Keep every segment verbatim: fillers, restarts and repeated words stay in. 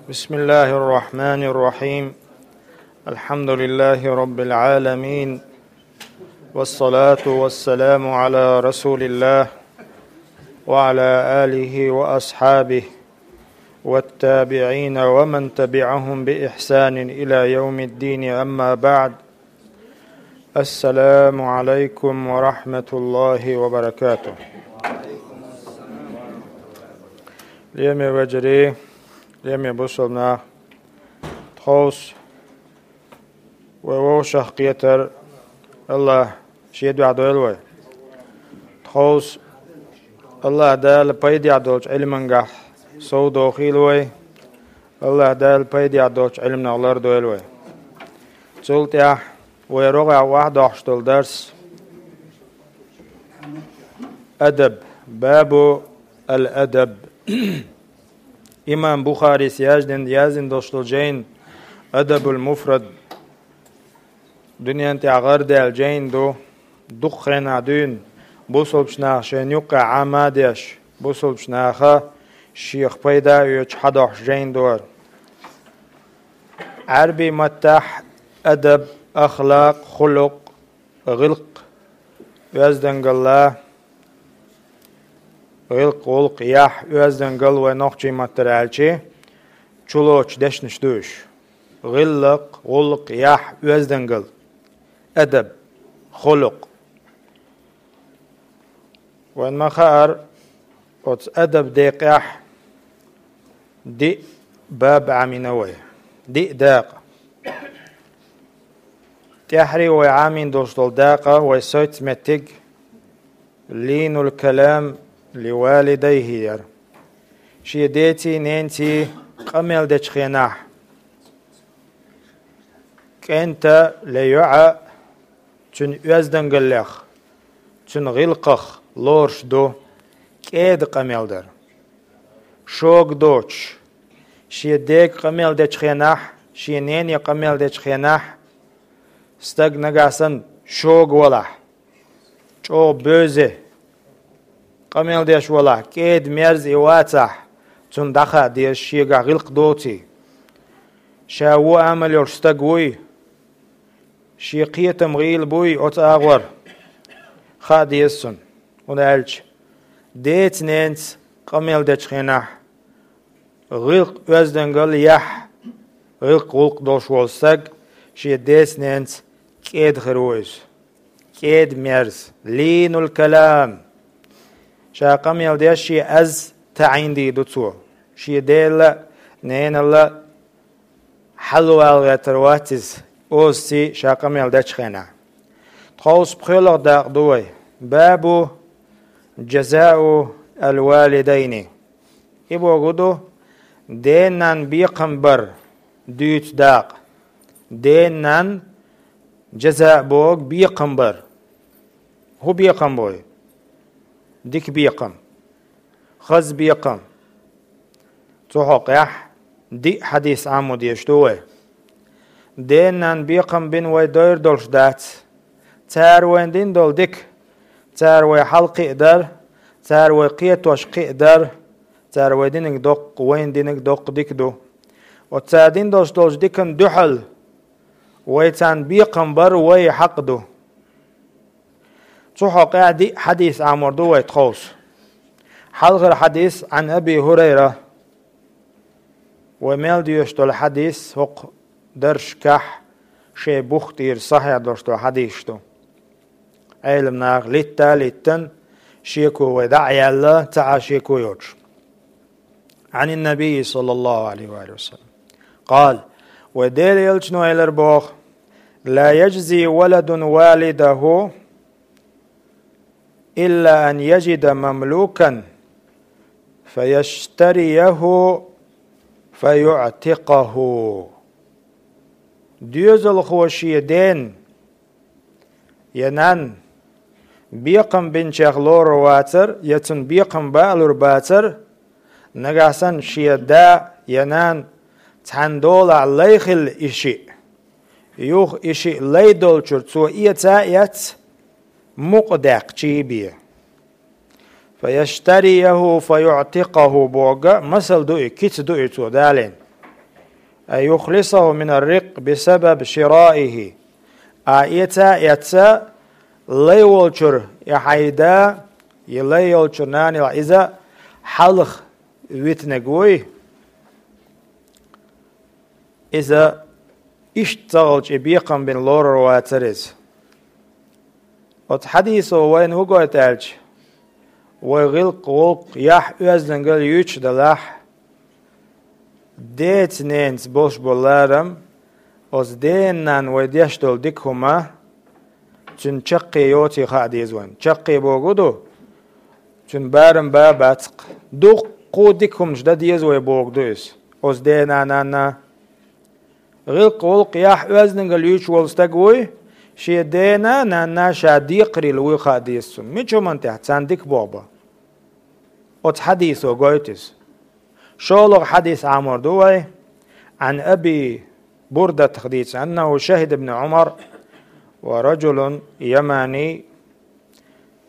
بسم الله الرحمن الرحيم. الحمد لله رب العالمين. والصلاة والسلام على رسول الله وعلى آله وأصحابه والتابعين ومن تبعهم بإحسان إلى يوم الدين، أما بعد. السلام عليكم ورحمة الله وبركاته. Лераме вежарий, лераме бусалба нах, тховса вай вовшах кхетар АллахӀа шен дуьхьа дойла вай. Тховса АллахӀа Дала пайдехь долчу Ӏилманехь совдохийла вай. АллахӀа Дала пайдехь долчу Ӏилманах лардойла вай. Цул тӀаьхьа вай рогӀехь охьадоккхуш долу дарс адаб, бабу ал-адаб. Имам Бухарис яздина, яздина долуш долу жайна Адабул Муфрад, дуьнен тӀехь гӀардаьлла жайна ду, дукха хенахь дуьйна бусалбачу наха шайна юккъехь Ӏама а деш, бусалбачу наха шех пайда а оьцуш хьадоккхуш жайна ду хӀара. Ӏаьрбийн маттахь адаб, ахлакъ, хулукъ, гӀиллакх, оьздангалла, гӀиллакх, гӀуллакх, яхь, оьздангалла вай нохчийн маттара аьлча, чулоцу дешнаш ду уьш. ГӀиллакх, гӀуллакх, яхь, оьздангалла, адаб, хулукъ. Вайн ма хаара, оцу адаб декъехь диъ баб Ӏамийна вай, диъ дакъа. ТӀаьххьара вай Ӏамийна долуш долу дакъа, вай соьца меттиг лийнул калам ли валидайхи яра. Шен деций, ненаций къамел дечу хенахь, кӀентан я йоьӀан, цуьнан оьздангаллех, цуьнан гӀиллакхах лоруш ду кӀеда къамел дар. Шога доцуш, шен дега къамел дечу хенахь, шен нене къамел дечу хенахь, стаг нагахь санна шога валахь, чӀогӀа бевза къамел деш валахь, кӀеда-мерза и вацахь, цунна дӀахаа деза, шегахь гӀиллакх доций, ша вон амал йолуш стаг вуй, шен кхетам гӀийла буй оцу агӀор, хаа деза цунна. ХӀунда аьлча деца-ненаца къамел дечу хенахь, гӀиллакх, оьздангалла, яхь, гӀиллакх, гӀуллакх долуш волу стаг шен деца-ненаца кӀеда хир ву иза. КӀеда-мерза, лийнул калам. Ша къамел деш шен аз таӀийна дийр ду цо. Шен дела а, ненал а хьалавала гӀертар вац иза, озаций ша къамел дечу хенахь. Тховса пхоьалгӀа дакъа ду вай. Бабу жазау ал-валидайни. И бохург ду, ден-ненан бекхам бар дуьйцу дакъа. Ден-ненан жаза бохург бекхам бар. ХӀун бекхам бу и? Дика бекхам. Хаза бекхам. Цу хьокъехь диъ хьадис Ӏамо дезаш ду вай. Ден-ненан бекхам бина вай дойр долуш дац. Цара вайна дина долу дика, цара вай хьалакхиадар, цара вай кхетош кхиадар, цара вай динарг доккха, вайна динарг доккха дика ду. Оцу цара дина долуш долчу диканна дуьхьал вай царна бекхам бар вай хьакъ ду. Цу хьокъехь диъ хьадис Ӏамор ду вай тховса. Хьалхара хьадис Ӏан Аби ХӀурайра. Вай мел доьшуш долу хьадис хӀокху даршкахь шайн бух тӀера сахьихь долуш долу хьадисаш ду. Ӏелам наха литта а литтина, шеко вай дӀа а яьлла, цхьа а шеко йоцуш. Ӏанин Набий, саллаллаху Ӏалайхи ва саллам, къала, вай Делан элчано элира боху: «Ла яжзи валадун валидаху илла ан яжида мамлукан, фаяштарияху, фаюътикъаху». Доьзалхо шен ден я нан бекхам бинчех лорур вацар, я цунна бекхам балур бацар, нагахь санна шен да я нан цхьана долахь лай хилла и шиъ, юха и шиъ лай долчуьра цо эца а эцна, мукъа даьккхичий бен. «Фаяштарияху фаюътикъаху» бохург масал ду и, кица ду и цо далийна. أن يخلصه من الرق بسبب شرائه. А эца, эца лай волчуьра и хьайда, и лай йолчуьра нана иза хьалха витинарг вуй. Иза иштта ца хилча и бекхам бина лорур вацара иза. Оцу хьадисо вайна хӀун гойту аьлча, вай гӀиллакх-гӀуллакх, яхь-оьздангалла юьйцуш делахь, деца-ненаца болуш болу ларам, оцу дена-нанна вай деш долу дика хӀума, цуьнан чаккхе йоций хаа деза вайна. Чаккхе бохург ду, цуьнан барам бан бац-кх. Дуккха а дика хӀуманаш дан деза вай бохург ду иза. Оцу дена-нанна ГӀиллакх-гӀуллакх, яхь-оьздангалла юьйцуш волу стаг вуй, шен дена-нанна ша декхарийла вуй хаа деза цунна. Мича хӀуманна тӀехь? Царна дика боху бан. Оцу хьадисо гойту иза. ШолгӀа хьадис Ӏамор ду вай. Ӏан Аби Бурдатах дийца, аннаху шахида ибн Ӏумар ва раджулун ямани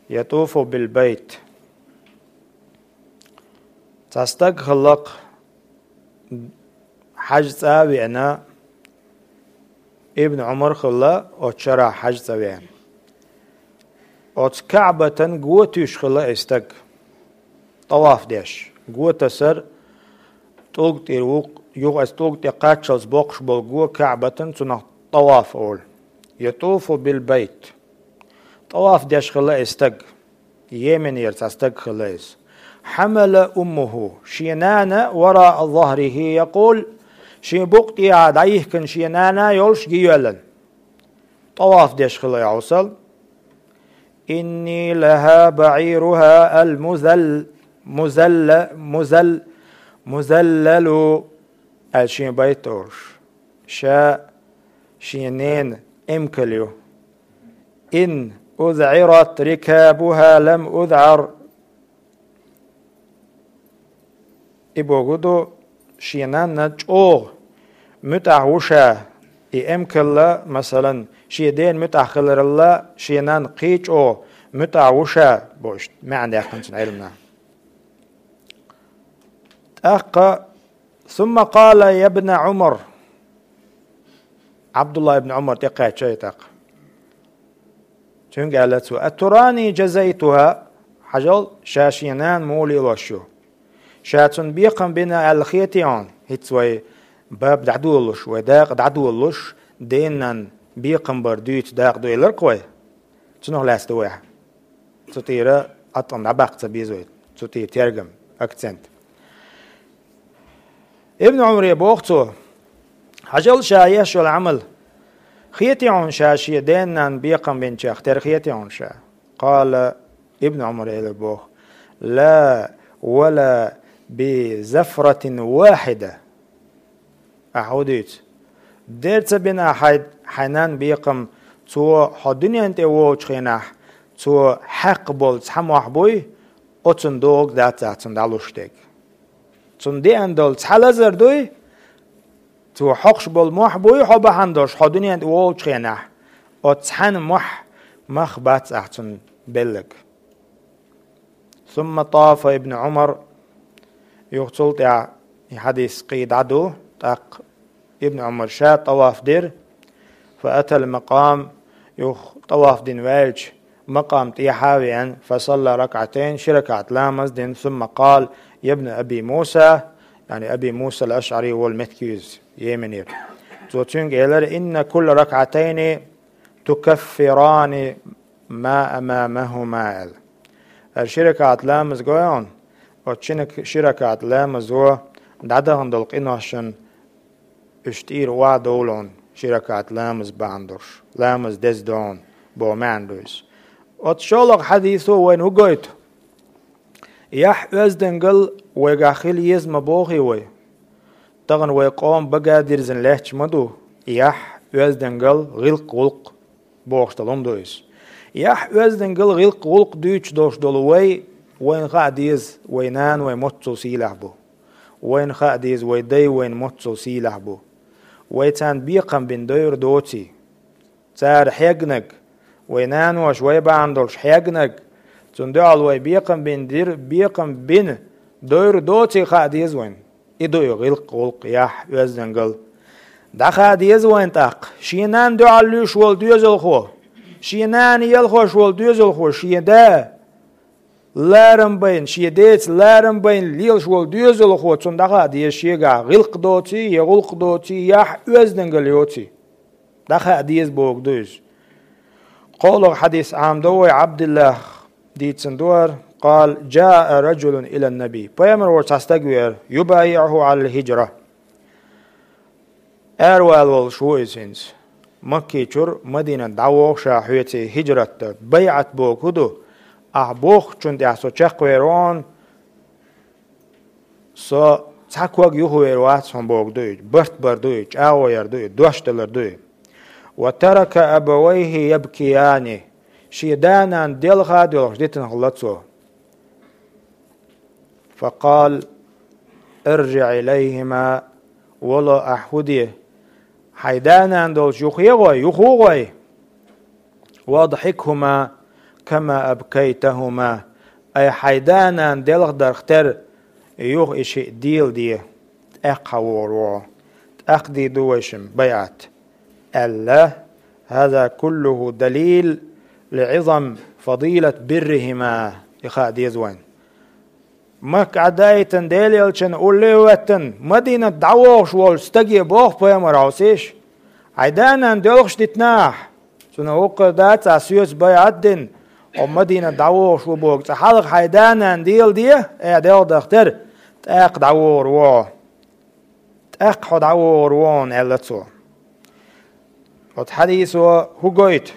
ятуфу бил байт. Цхьа стаг хилла-кх, хьаьж цӀа а веана, Ибн Ӏумар хилла оцу шарахь хьаьж цӀа веана. Оцу КаӀбатан го туьйсуш хилла и стаг, тӀаваф деш. Го тасар тӀулга тӀера ву-кх, юха аса тӀулга тӀе кхаччалц боккхуш болу го КаӀбатан, цунах тӀаваф олу. Ятуфу бил байт. ТӀаваф деш хилла и стаг. Йеменера цхьа стаг хилла иза. Хьамала уммуху, шен нана, вараа захрихи якъул, шен букъа тӀехьа дӀайихкина шен нана йолуш гийоьллина. ТӀаваф деш хилла и хьовсал. Инни лаха баӀируха ал-музал-, музалла-, музал-, музаллалу, аьлла шен байт олуш. Ша шен ненан эмкал ю. Ин узӀират рикабуха лам узӀар. И бохург ду, шен нанна чӀогӀа муьтӀахь ву ша, и эмкалла, масалан, шен дена муьтӀахь хиларалла, шен нанна кхин а чӀогӀа муьтӀахь ву ша, бохуш, маьӀна даьккхина цуьнан Ӏилманан. ТӀаккха, сумма къала я бна Ӏумар, Ӏабдулла ибн Ӏумар тӀекхаьчча и тӀаккха. Цуьнга аьлла цо: «Атурани джазайтуха?» Хьажал, ша шен нана муха лелош ю. Ша цунна бекхам бина аьлла хетий хьуна? ХӀинца вай баб дӀадолалуш, вай дакъа дӀадолалуш, дена-нанна бекхам бар дуьйцу дакъа ду элира-кх вай. Цунах лаьцна ду вай. Цу тӀера атӀам дӀабаккха ца беза вай. Цу тӀера тергам, акцент. Ибн Ӏумаре боху цо: «Хьажал ша еш йолу Ӏамал. Хетий хьуна ша шен дена-нанна бекхам бинчех тера, хетий хьуна ша?» Къала, Ибн Ӏумаре элира боху: «Ла, вала би зафратин вахида». Ахьа хӀун дуьйцу? Дера ца бина ахь хьайн, хьайн нанна бекхам, цо хьо дуьнен тӀе волчу хенахь, цо хьаькхна болу цхьа мохь буй, оцунна догӀу дац ахь цунна дӀалуш дерг. Цунна деана долу цхьа лазар дуй, цо хьокхуш болу мохь буй хьо бахьана долуш, хьо дуьнен тӀе волчу хенахь, оцу цхьана мохь мах бац ахь цунна белларг. Сумма тафа Ибн Ӏумар, юха цул тӀаьхьа и хьадис кхин дӀа ду, тӀаккха Ибн Ӏумар ша тӀаваф дира, фа атал макъам, юха тӀаваф дина ваьлча, макъам тӀехьа а веана, фа салла ракъатайн, ши ракаӀат ламаз дина, сумма къала: «Я бна Аби Муса», яъни Аби Муса ал-АшӀари волу меттиг ю иза, Йеменера. Цо цуьнга элира: «Инна кулла ракъатайни тукаффирани ма амамахума», аьлла. Ара ши ракаӀат ламаз гой хьуна, оцу ши рак-, ши ракаӀат ламазо дӀадахана долу къиношна уьш тӀера охьадовлу хьуна, ши ракаӀат ламаз бахьана долуш, ламаз деза ду хьуна, боху маьӀна ду иза. Оцу шолгӀа хьадисо вайна хӀун гойту? Яхь-оьздангалла вайгахь хила еза ма бохий вай. Тахана вай къоман бага дирзина лаьтташ ма ду яхь-оьздангалла, гӀиллакх-гӀуллакх бохуш долу хӀума ду иза. Яхь-оьздангалла, гӀиллакх-гӀуллакх дуьйцуш долуш долу вай, вайна хаа деза, вай нана вайн моццул сийлахь бу. Вайна хаа деза, вай дай вайна моццул сийлахь бу. Вай царна бекхам бина дойр доций. Цара хьегнарг, вай наноша вай бахьана долуш хьегнарг, цунна дуьхьал вай бекхам бина дир-, бекхам бина дойр доций хаа деза вайна. И ду и гӀиллакх-гӀуллакх, яхь, оьздангалла, ДӀахаа деза вайн тӀаккха, шен нанна дуьхьал луьйш волу доьзалхо, шен нана елхош волу доьзалхо, шен да ларам байна, шен деца ларам байна лелаш волу доьзалхо, цунна дӀахаа деза шегахь гӀиллакх доций, я гӀуллакх доций, яхь оьздангалла йоций. ДӀахаа деза бохург ду иза. КхоалгӀа хьадис Ӏамадо вай, Ӏабдиллах дийцина ду хӀара: «قال: جاء رجل إلى النبي». Пайхамар волчу цхьа стаг веара, «يبايعه على الهجرة». Аравала волуш ву иза хӀинца. Маккичуьра Мадинат дӀавогӀу ша хьоьций хӀижрат дан. БайӀат бохург хӀун ду? Ахь бохучунна тӀехь со чекхвер ву хьуна, со цхьа ког юхавер вац хьуна бохург ду иза. Барт бар ду иза, чӀагӀо яр ду иза, дош далар ду иза. «وترك أبويه يبكيان». Шен да-нана делха а доьлхуш дитина хилла цо. «فقال: ارجع إليهما». Вало, ахь хӀун де? Хьайн да-нана долчу юххе а гӀой, юха а гӀой. «وأضحكهما كما أبكيتهما». Ай хьайн да-нана делхадарх тера юха и шиъ деладе. ТӀаккха хьан вогӀур ву хьо. ТӀаккха дийр ду вайшимма байӀат, аьлла. «هذا كله دليل لعظم فضيلة برهما». И хаа деза вайн. Макка Ӏаддаийтина, Делан элчанна улле а хӀоьттина, Мадинат дӀавогӀуш волчу стаге боху пайхамар, хьовсийша. Хьайн да-нана доьлхуш дитина ахь. Цунах вукхара дац ахь соьца байӀат дина, хьо Мадинат дӀавогӀуш ву бохург. Цкъа хьалха хьайн да-нана деладе, ахь делхадарх тера, тӀаккха дӀавогӀур ву хьо. ТӀаккха хьо дӀавогӀур ву хьуна, аьлла цо. Оцу хьадисо хӀун гойту?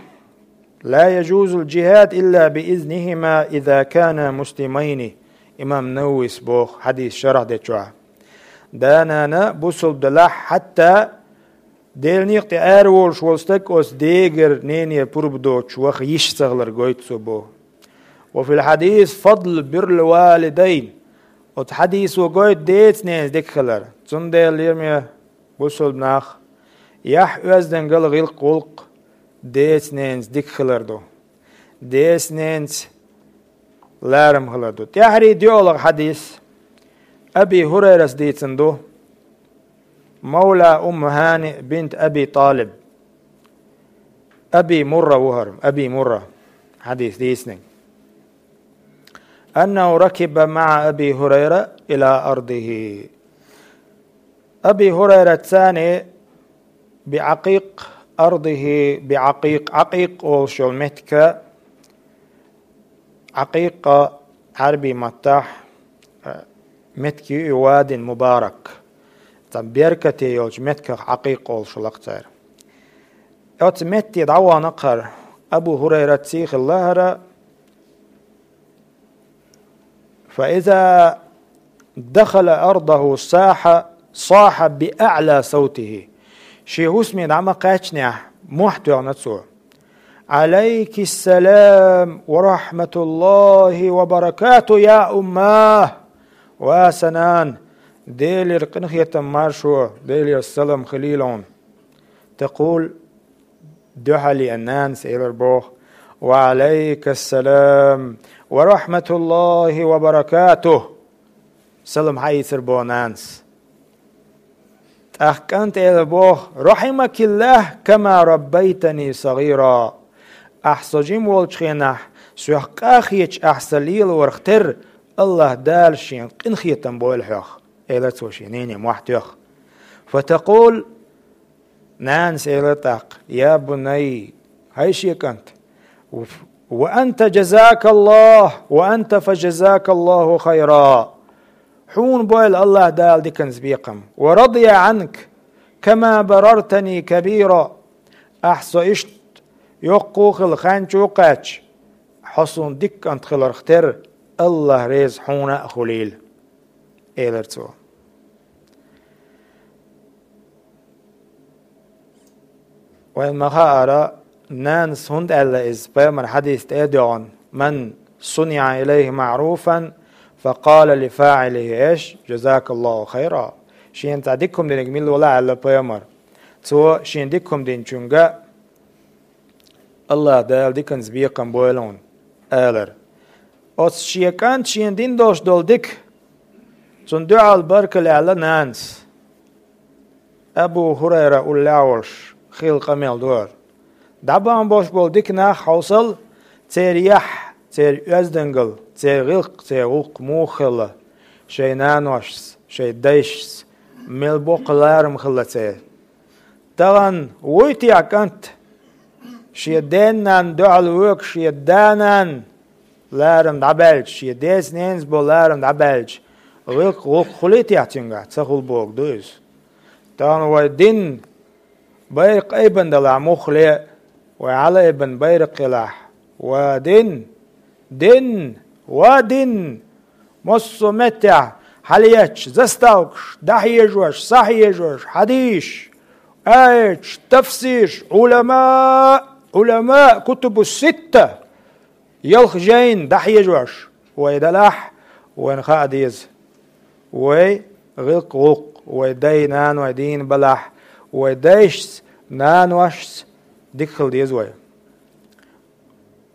«لا يجوز الجهاد إلا بإذنهما إذا كانا مسلمين». Имам Нававис боху хьадис шархь дечохь. Да-нана бусулба делахь, хьатта Делан некъа тӀе араволуш волу стаг оцу дегара, ненера пурба доцуш ваха йиш ца хилар гойту цо боху. «وفي الحديث فضل بر الوالدين». Оцу хьадисо гойту деца-ненаца дика хилар. Цундела, лераме бусулба нах, яхь оьздангалла, гӀиллакх, гӀуллакх деца-ненаца дика хилар ду. Деца-ненаца ларам хилар ду. ТӀаьххьарий доьалгӀа хьадис Аби ХӀурайрас дийцина ду. Мавла Умму ХӀани бинт Аби ТӀалиб. Аби Мурра ву хӀара, Аби Мурра, хьадис дийцинарг. «أنه ركب مع أبي هريرة إلى أرضه». Аби ХӀурайрат царна «بعقيق أرضه», «بعقيق», Ӏакъикъ олуш йолу меттиг, Ӏакъикъ Ӏаьрби маттахь, э, меттиг ю и, «واد مبارك». Цхьа беркате йолчу меттигах Ӏакъикъ олуш хилла-кх цара. Оцу метте дӀавахана-кх хӀара, Абу ХӀурайрат сий хилла хӀара, «فإذا دخل أرضه صاح، صاح بأعلى صوته». Шен хӀусаме дӀа ма кхаьчнехь, мохь тоьхна цо: «عليك السلام ورحمة الله وبركاته يا أماه». Ва сан нана, Делера къинхетам, маршо, Делера салам хилийла хьуна. «تقول», дуьхьал еана нанас элира боху: «وعليك السلام ورحمة الله وبركاته». Салам хьаийцира боху нанас. ТӀаккха кӀанта элира боху: «رحمك الله كما ربيتني صغيرا». Ахь со жима волчу хенахь, сох къа а хеташ ахь сан лелорах терра, АллахӀ Дала шен къинхетам бойла хьох, элира цо шен нене мохь тоьхна. «فتقول», нанас элира тӀаккха: «يا بني», хӀай шен кӀант, «وأنت جزاك الله، وأنت فجزاك الله خيرا». Хьуна бойла АллахӀ Дала диканца бекхам. «ورضي عنك كما بررتني كبيرا». Ахь со иштта йоккха а хилла, хан чу а кхаьчча, хьо суна дика кӀант хиларх терра, АллахӀ реза хьуна а хуьлийла, элира цо. Вайн ма-хаъара, нанас хӀунда аьлла иза, пайхамар хьадис тӀе а доьгӀна: «من صنع إليه معروفا فقال لفاعله إيش؟ جزاك الله خيرا». Шена цхьа дика хӀума динарг мила валахь, аьлла пайхамар, цо шена дика хӀума динчуьнга: «АллахӀ Дала диканца бекхам бойла хьуна», — алар. Оцу шен кӀанта шена дина долуш долу дика, цунна дуьхьал баркалла аьлла нанас. Абу ХӀурайра уллехь волуш хилла къамел ду хӀара. ДӀабахана болуш болу дика нах хьовсал, церан яхь, церан оьздангалла, церан гӀиллакх, церан гӀуллакх муха хилла, шайн наношца, шайн дайшца, мел боккха ларам хилла церан. Тахана вуй те кӀант, шен ден-нанна дуьхьал воьгуш, шен да-нанна ларам дӀабаьлча, шен деца-ненаца болу ларам дӀабаьлча, гӀиллакх-гӀуллакх хуьлий те цуьнгахь? Ца хуьлу бохург ду иза. Тахана вай дин байракх айбина далахь муххале а, вай хьала айбина байракх елахь, ва дин, дин, ва дин, массо а меттехь хьалаетташ, заставкаш, дӀахьежош, схьахьежош, хьадисаш, аяташ, тафсираш, Ӏулама, Ӏулама, кутубу ситта, ялх жайна дӀахьежош вай далахь, вайна хаа деза. Вай гӀиллакх-гӀуллакх, вай дай-наной дийна балахь, вай дайшца, наношца дика хила деза вай.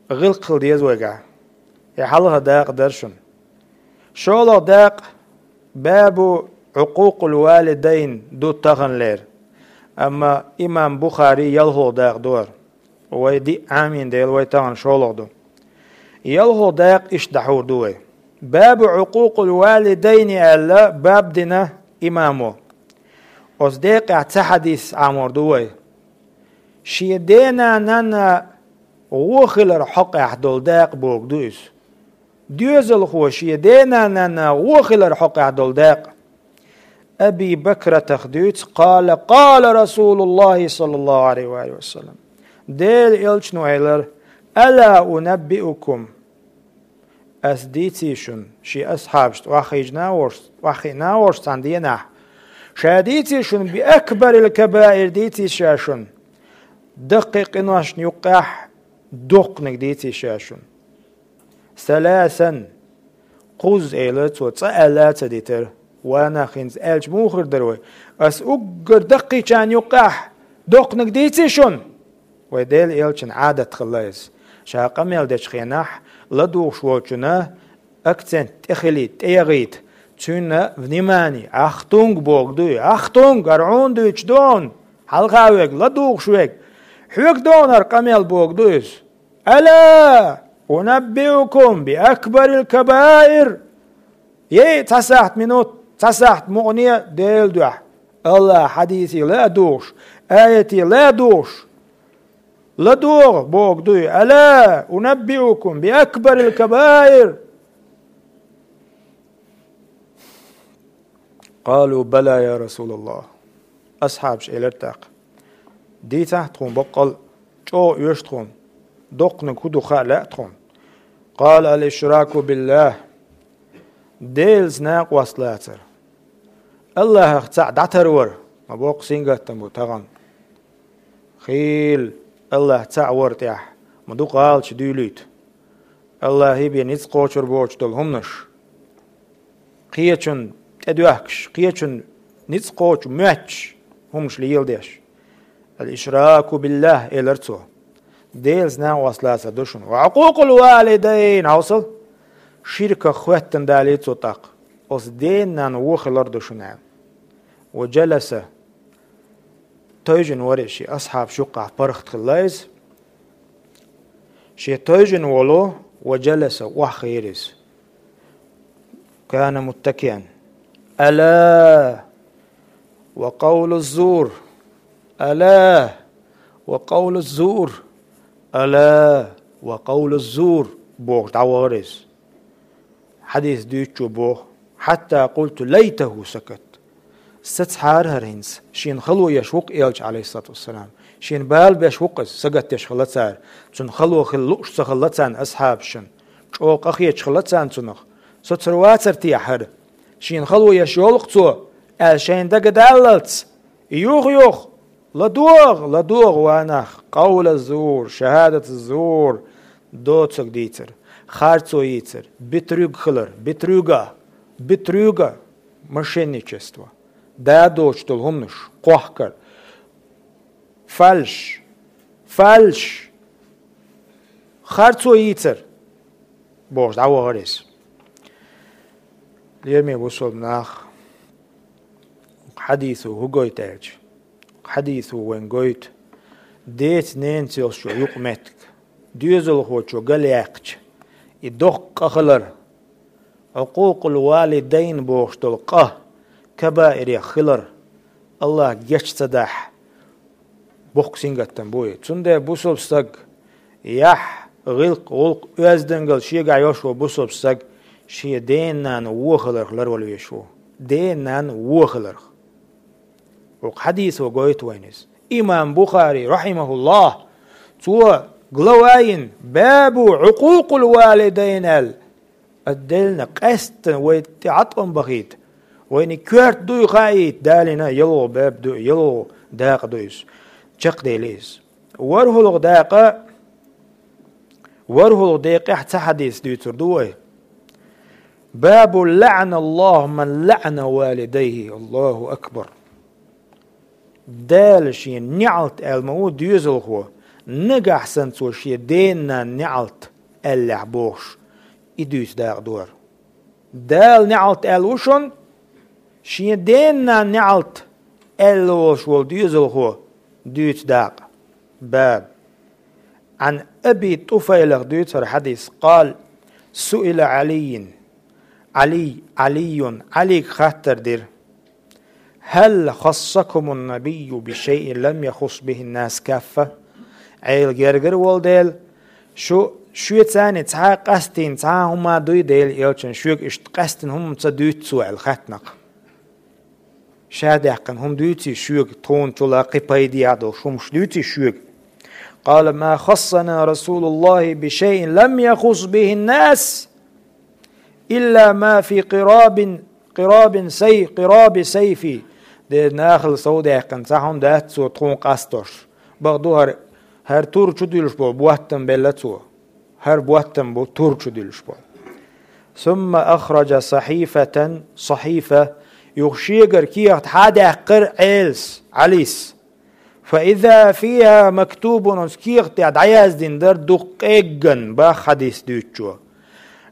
ГӀиллакх хила деза вайгахь. И хьалха дакъа дара шуна. ШолгӀа дакъа бабу Ӏукъукъул валидайн ду таханлера. Амма имам Бухари ялхолгӀа дакъа ду хӀара. Вай диъ Ӏамийна дела, вай тахана шолгӀа ду. ЯлхолгӀа дакъа иштта дӀахьур ду вай. Бабу Ӏукъукъул валидайни аьлла, баб дина имамо. Оцу декъехь цхьа хьадис Ӏамор ду вай. Шен дена-нанна вон хилар хьокъехь долу дакъа бохург ду иза. Доьзалхо шен дена-нанна вон хилар хьокъехь долу дакъа. Аби Бакратах дуьйцу, къала, къала Расулуллахи саллаллаху алейхи ва саллям. Делан элчано элира: «Ала унаббиукум?» Ас дийций шуна, шен асхьабашна охьахиъна а волуш, охьахиъна а волуш цхьана денахь, ша дийций шуна би акбарил кабаир, дийций ша шуна, даккхий къиношна юккъехь доккханиг дийций ша шуна. Саласан, кхузза элира цо, цкъа аьлла а ца дитира. Ва нах, хӀинца аьлча муха хир дара вай? Ас уггар даккхийчарна юккъехь доккханиг дийций шуна? Вай Делан элчан Ӏадат хилла иза. Ша къамел дечу хенахь, ладугӀуш волчунна акцент тӀехилийта, тӀеяхийта, цуьнан внимание, Ахтунг бохург дуй, Ахтунг, хӀара хьуна дуьйцуш ду хьуна, хьалха верг, ладугӀуш верг, хьоьга ду хьуна хӀара къамел бохург ду иза. Ала унаббиукум би акбарил кабаир? Ей, цхьа сахьт минут, цхьа сахьт мукъане а Делан дуьхьа, АллахӀан хьадисе ла а дугӀуш, аяте ла а дугӀуш, ладогӀа бохург дуй, ала унаббиукум би акбарил кабаир? Къалу бала, я Расулаллах. Асхьабаша элира тӀаккха: дийцахьа тхуна баккъал, чӀогӀа оьшу тхуна, доккханиг хӀун ду хаа лаьа тхуна. Къала: ал-ишраку биллах. Делаца накъост лацар. АллахӀах цхьаъ дӀатарвар, ма боккха сингаттам бу тахана. Хийла АллахӀ цхьаъ вар тӀехь, ма дукха гӀалаташ дуьйлуьйту. АллахӀе бен ницкъ кхочур боцуш долу хӀуманаш. Кхечунна тӀедоьхкуш, кхечунна ницкъ кхочу моьттуш хӀуманаш леладеш. Ал-ишраку биллах, элира цо. Делаца накъост лацар ду шуна. Ва Ӏукъукъул валидайн, хьовсал. Ширках хоьттина далийра цо тӀаккха. Оцу дена-нанна вон хилар ду шуна аьлла. Ва жаласа. Тевжина вара иза шен асхьабаш юккъехь, паргӀат хилла иза. Шен тевжина волу ва жаласа, охьахиира иза. Кана муттакиан. Ала ва къавлу зур. Ала ва къавлу зур. Ала ва къавлу зур, бохуш дӀавахара иза. Хьадис дуьйцучо боху: хьатта къулту лайтаху сакат. Сацахьара хӀара хӀинца, шена хало еш ву-кх элча, алейхиссалату вассалам. Шена бала беш ву-кх иза, сагатдеш хилла цара. Цунна хало хила лууш ца хилла царна асхьабашна. ЧӀогӀа къахеташ хилла царна цунах. Соцур вацара те хӀара? Шена хало еш йолу-кх цо, аьлла шайна дагадаллалц, юха-юха: ЛадогӀа, ладогӀа, ва нах, къавла зур, шахӀадат зур, доцург дийцар, харцо йийцар, битруьг хилар, битруьга, битруьга, мошенничество, да доцуш долу хӀуманаш, кхохкар, фальш, фальш, харцо йийцар, бохуш дӀавахара иза. Лераме бусалба нах, хьадисо хӀун гойту аьлча, Хьадисо вайн гойту деца-ненаца йолчо юкъаметтиг, доьзалхочо галъяьккхича, и доккха къа хилар, Ӏукъукъул валидайн бохуш долу къа кабаирех хилар, Аллах геч ца дахь, боккха сингаттам бу и. Цундела бусалба стаг яхь, гӀиллакх, гӀуллакх, оьздангалла шегахь йолуш волу бусалба стаг шен дена-нана вон хиларх ларвала везаш ву. Дена-нана вон хиларх. Оцу хьадисо гойту вайна иза. Имам Бухари, рахьимахуллах, цо глава йина, «Бабу Ӏукъукъул валидайн» аьлла, отдельно, къаьстина вай тӀе Ӏаткъам бахийта, вайна коьрта дуй хаийта, далийна ялхо баб ду, ялхо дакъа ду иза. Чекхдели иза. ВорхӀалгӀа дакъа, ворхӀалгӀа декъехь цхьа хьадис дуьйцур ду вай. «Бабу лаӀаналлаху ман лаӀана валидайхи». Аллаху акбар. Дала шен неӀалт аьлла ма ву доьзалхо, нагахь санна цо шен дена-нана неӀалт аьллехь бохуш, и дуьйцу дакъа ду хӀара. Дала неӀалт аьлла ву шуна, шен дена-нана неӀалт аьлла волуш волу доьзалхо дуьйцу дакъа. Баб. Ӏан Аби ТӀуфайлах дуьйцу хӀара хьадис, къала: «Суила Ӏалиййин». Ӏалий, Ӏалиййун, Ӏалийга хаттар дира: «Хьал хассакумун набийю би шайин лам яхусс бихин нас каффа?» Ӏела гергара волу Дела, шу, шоьца цхьа а къастийна цхьа а хӀума дуй Делан элчано шуьга иштта къаьстина хӀума ца дуьйцу цо аьлла хаьттина-кх. Ша даьккхина хӀума дуьйций шуьга, тхуна чула кхин пайде а долуш хӀумаш дуьйций шуьга? Къала: «Ма хассана Расулуллахи би шайин лам яхусс бихин нас, илла ма фи къирабин, къирабин сай-, къираби сайфи». Дера нахала сов даьккхина цхьа хӀума дац цо тхуна къастош. Бакъду хӀара, хӀара тур чу дуьллуш болу боттам белла цо. ХӀара боттам бу тур чу дуьллуш болу. Сумма ахраджа сахьифатан, сахьифа, юха шегара кехат хьадаьккхира Ӏелас, Ӏалис. Фа иза фиха мактубун, оцу кехат тӀехь дӀаяздина дара дукха къегган, бах хьадис дуьйцучо: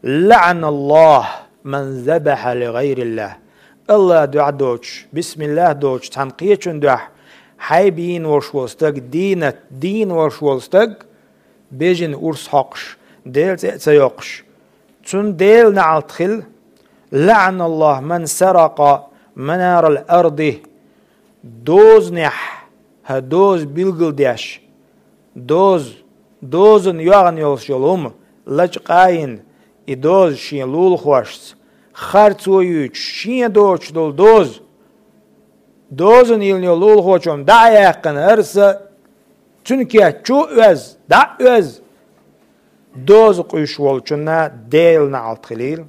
«ЛаӀаналлаху ман забахьа ли гӀайриллахь». Аллах дуьхьа доцуш, бисмиллах доцуш, цхьана кхечун дуьхьа хьайба йийна волуш волу стаг, дийнат дийна волуш волу стаг, бежана урс хьокхуш, Делан цӀе а ца йоккхуш, цунна Делан неӀалт хила. «ЛаӀаналлаху ман саракъа манарал арди». Дозанехь, хӀара доза билгалдеш, доза, дозанна йоьгӀна йолуш йолу хӀума, лачкъа а йина, и доза шен лулахошца, харцо юьйцуш, шен доцуш долу доза, дозанна йиллина йолу лулахочунна дӀа а яьккхина, хӀара са цуьнан кеччу а оьзна, дӀа а оьзна, доза къуьйсуш волчунна Делан неӀалт хилийла.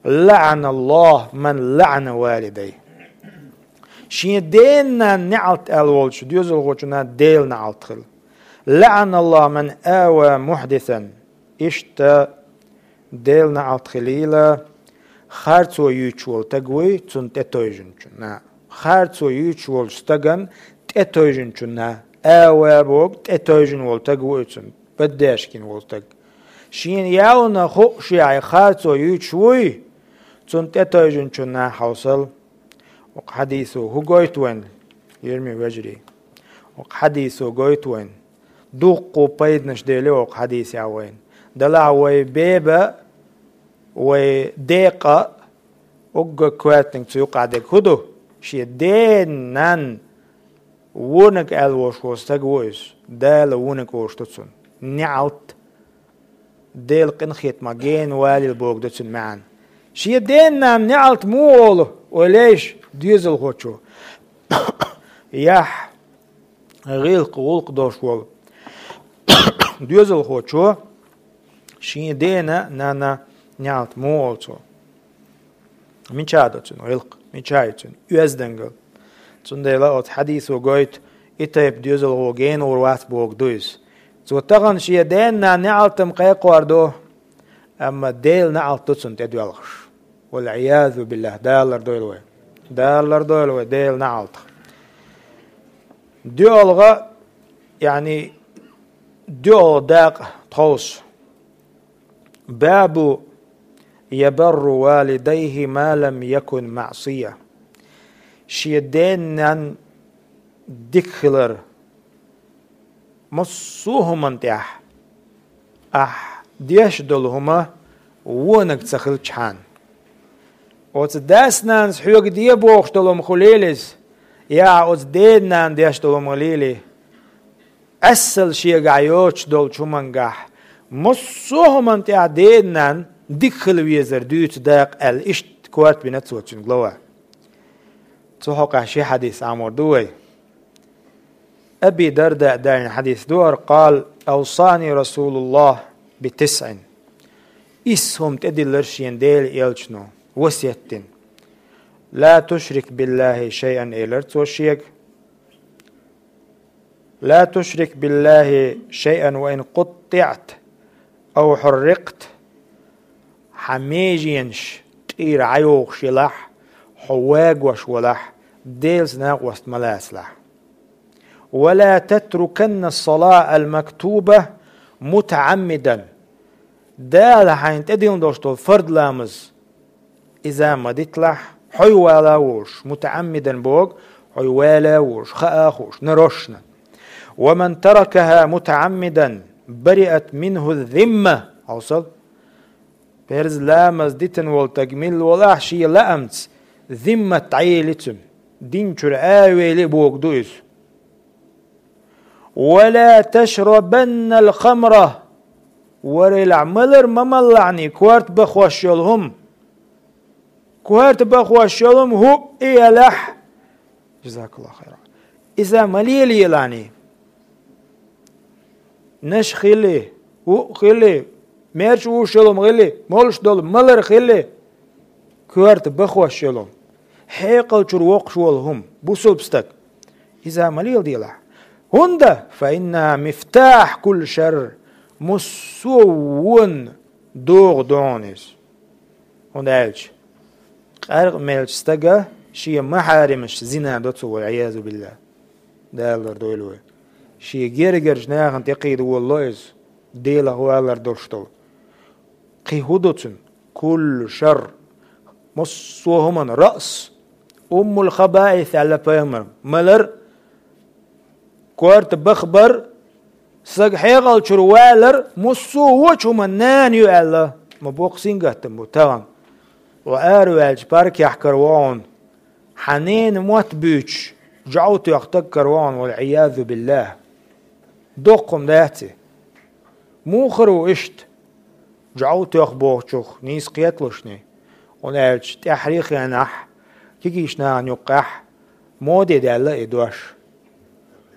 «ЛаӀаналлаху ман лаӀана валидайхи». Шен дена-нана неӀалт аьлла волчу доьзалхочунна Делан неӀалт хила. «ЛаӀаналлаху ман ава мухьдисан». Иштта Делан неӀалт хилийла, харцо юьйцуш волу стаг вуй, цунна тӀетойжинчунна. Харцо юьйцуш волчу стагана тӀетойжинчунна. Ава боху, тӀетойжина волу стаг вуй цунна, баддешкина волу стаг. Шена ялна хууш яхье харцо юьйцуш вуй, цунна тӀетойжинчунна хьовсал. Окху хьадисо хӀун гойту вайна, йирмий вежарий? Окху хьадисо гойту вайна. Дуккха пайданаш дели окху хьадисехь вайна. Делахь вай беба, вай декъа, уггар коьртаниг цу юкъа дерг хӀун ду? Шен ден-нан вониг аьлла волуш волу стаг ву иза. Дала вониг олуш ду цунна. НеӀалт. Делан къинхетамах гена валийла боху ду цуьнан маьӀна. Шен ден-нанна неӀалт муха олу, ойла ейша, доьзалхочо? Яхь, гӀиллакх, гӀуллакх долуш волу доьзалхочо шен дена-нанна неӀалт муха олу цо? Мича ду цуьнан гӀиллакх? Мича ю цуьнан оьздангалла? Цундела оцу хьадисо гойту, и тайпа доьзалхо гена гӀур вац боху ду иза. Цо тахана шен ден-нанна неӀалт-м кхайкхор ду, амма Делан неӀалт ду цунна тӀедоьлхуш. ВалӀиязу биллахӀ, Дала лардойла вай. Дала лардойла вай Делан неӀалтах. ДоьалгӀа, яъни, доьалгӀа дакъа тховса. Бабу ябарру валидайхи ма лам якун маӀсия. Шен ден-нанна дика хилар. Массо а хӀуманна тӀехь ахь деш долу хӀума вониг ца хилчхьана. Оцу дас-нанас хьоьга де бохуш долу хӀума хуьлийла иза, я оцу ден-нана деш долу хӀума хуьлийла. Эсала шегахь йоцуш долчу хӀумангахь массо а хӀуманна тӀехь ден-нана дика хила везар дуьйцу дакъа аьлла, иштта корта бина цо цуьнан глава. Цу хьокъехь ши хьадис Ӏамор ду вай. Аби Дарда а даьллина хьадис ду хӀара: «Къала: авсани Расулуллах би тисъин». Исс хӀума тӀедиллира шена Делан элчано, васият дина. «Ла тушрик биллахи шайъан», — элира цо шега. «Ла тушрик биллахи шайъан ва ин къуттиъта ав хьуррикъта». Хьан меженаш тӀера Ӏайохуш елахь, хьо вагош валахь, Делаца накъост ма лацалахь. «Ва ла татруканна ас-салата ал-мактуба мутаӀаммидан». Дала хьайна тӀедиллина долуш долу фард ламаз иза ма диталахь, хьо вала а волуш, мутаӀаммидан боху, хьо вала а волуш, хаа а хууш, нарошна. «Ва ман таракаха мутаӀаммидан бариат минху зимма». Хьовсал. Перз ламаз дитина волу стаг милла волахь, шен лаамца зиммат дӀаели цуьнан, дин чуьра а вели боху ду иза. «Ва ла ташрабанна ал-хамра». Варелахь, малар ма маллахьний, корта бахош йолу хӀума. Корта бахош йолу хӀума хӀуъа а елахь. Жазакаллаху хайран. Иза ма лелаелахьний. Наш хили, хӀуъа хили, мерча вуш йолу хӀума хили, молуш долу малар хили. Корта бахош йолу хӀума. Хьекъал чуьра воккхуш волу хӀума, бусулба стаг. Иза ма леладелахь. ХӀунда? «Фа иннаха мифтахь кулли шарр». Массо а вонан догӀа ду хьуна иза. ХӀунда аьлча къаркъа мелча стага шен махьаримаш зина до цо, вал-Ӏиязу биллахӀ. Дала лардойла вай. Шен гергарчу нахана тӀекхийда волало иза, Делах валар долуш долу. Кхин хӀун ду цуьнан? Куллу шарр. Массо а хӀуманан раъс. Уммул хабаис аьлла пайхамара. Малар, корта бахбар, стаг хьекъал чуьра валар, массо а вочу хӀуманан нана ю аьлла. Ма боккха сингаттам бу тахана. Ва араваьлча паркехь каравахана. Хьан ненан мотт буьйцуш, жӀов тоьхна стаг каравахана, вал-Ӏиязу биллахӀ. Доккха хӀума дац и? Муха хир ву иштта? ЖӀов тоьхна бохучух нийса кхеталушний? ХӀунда аьлча тӀаьххьарчу хенахь кегийчу нахана юккъехь моде даьлла и дош.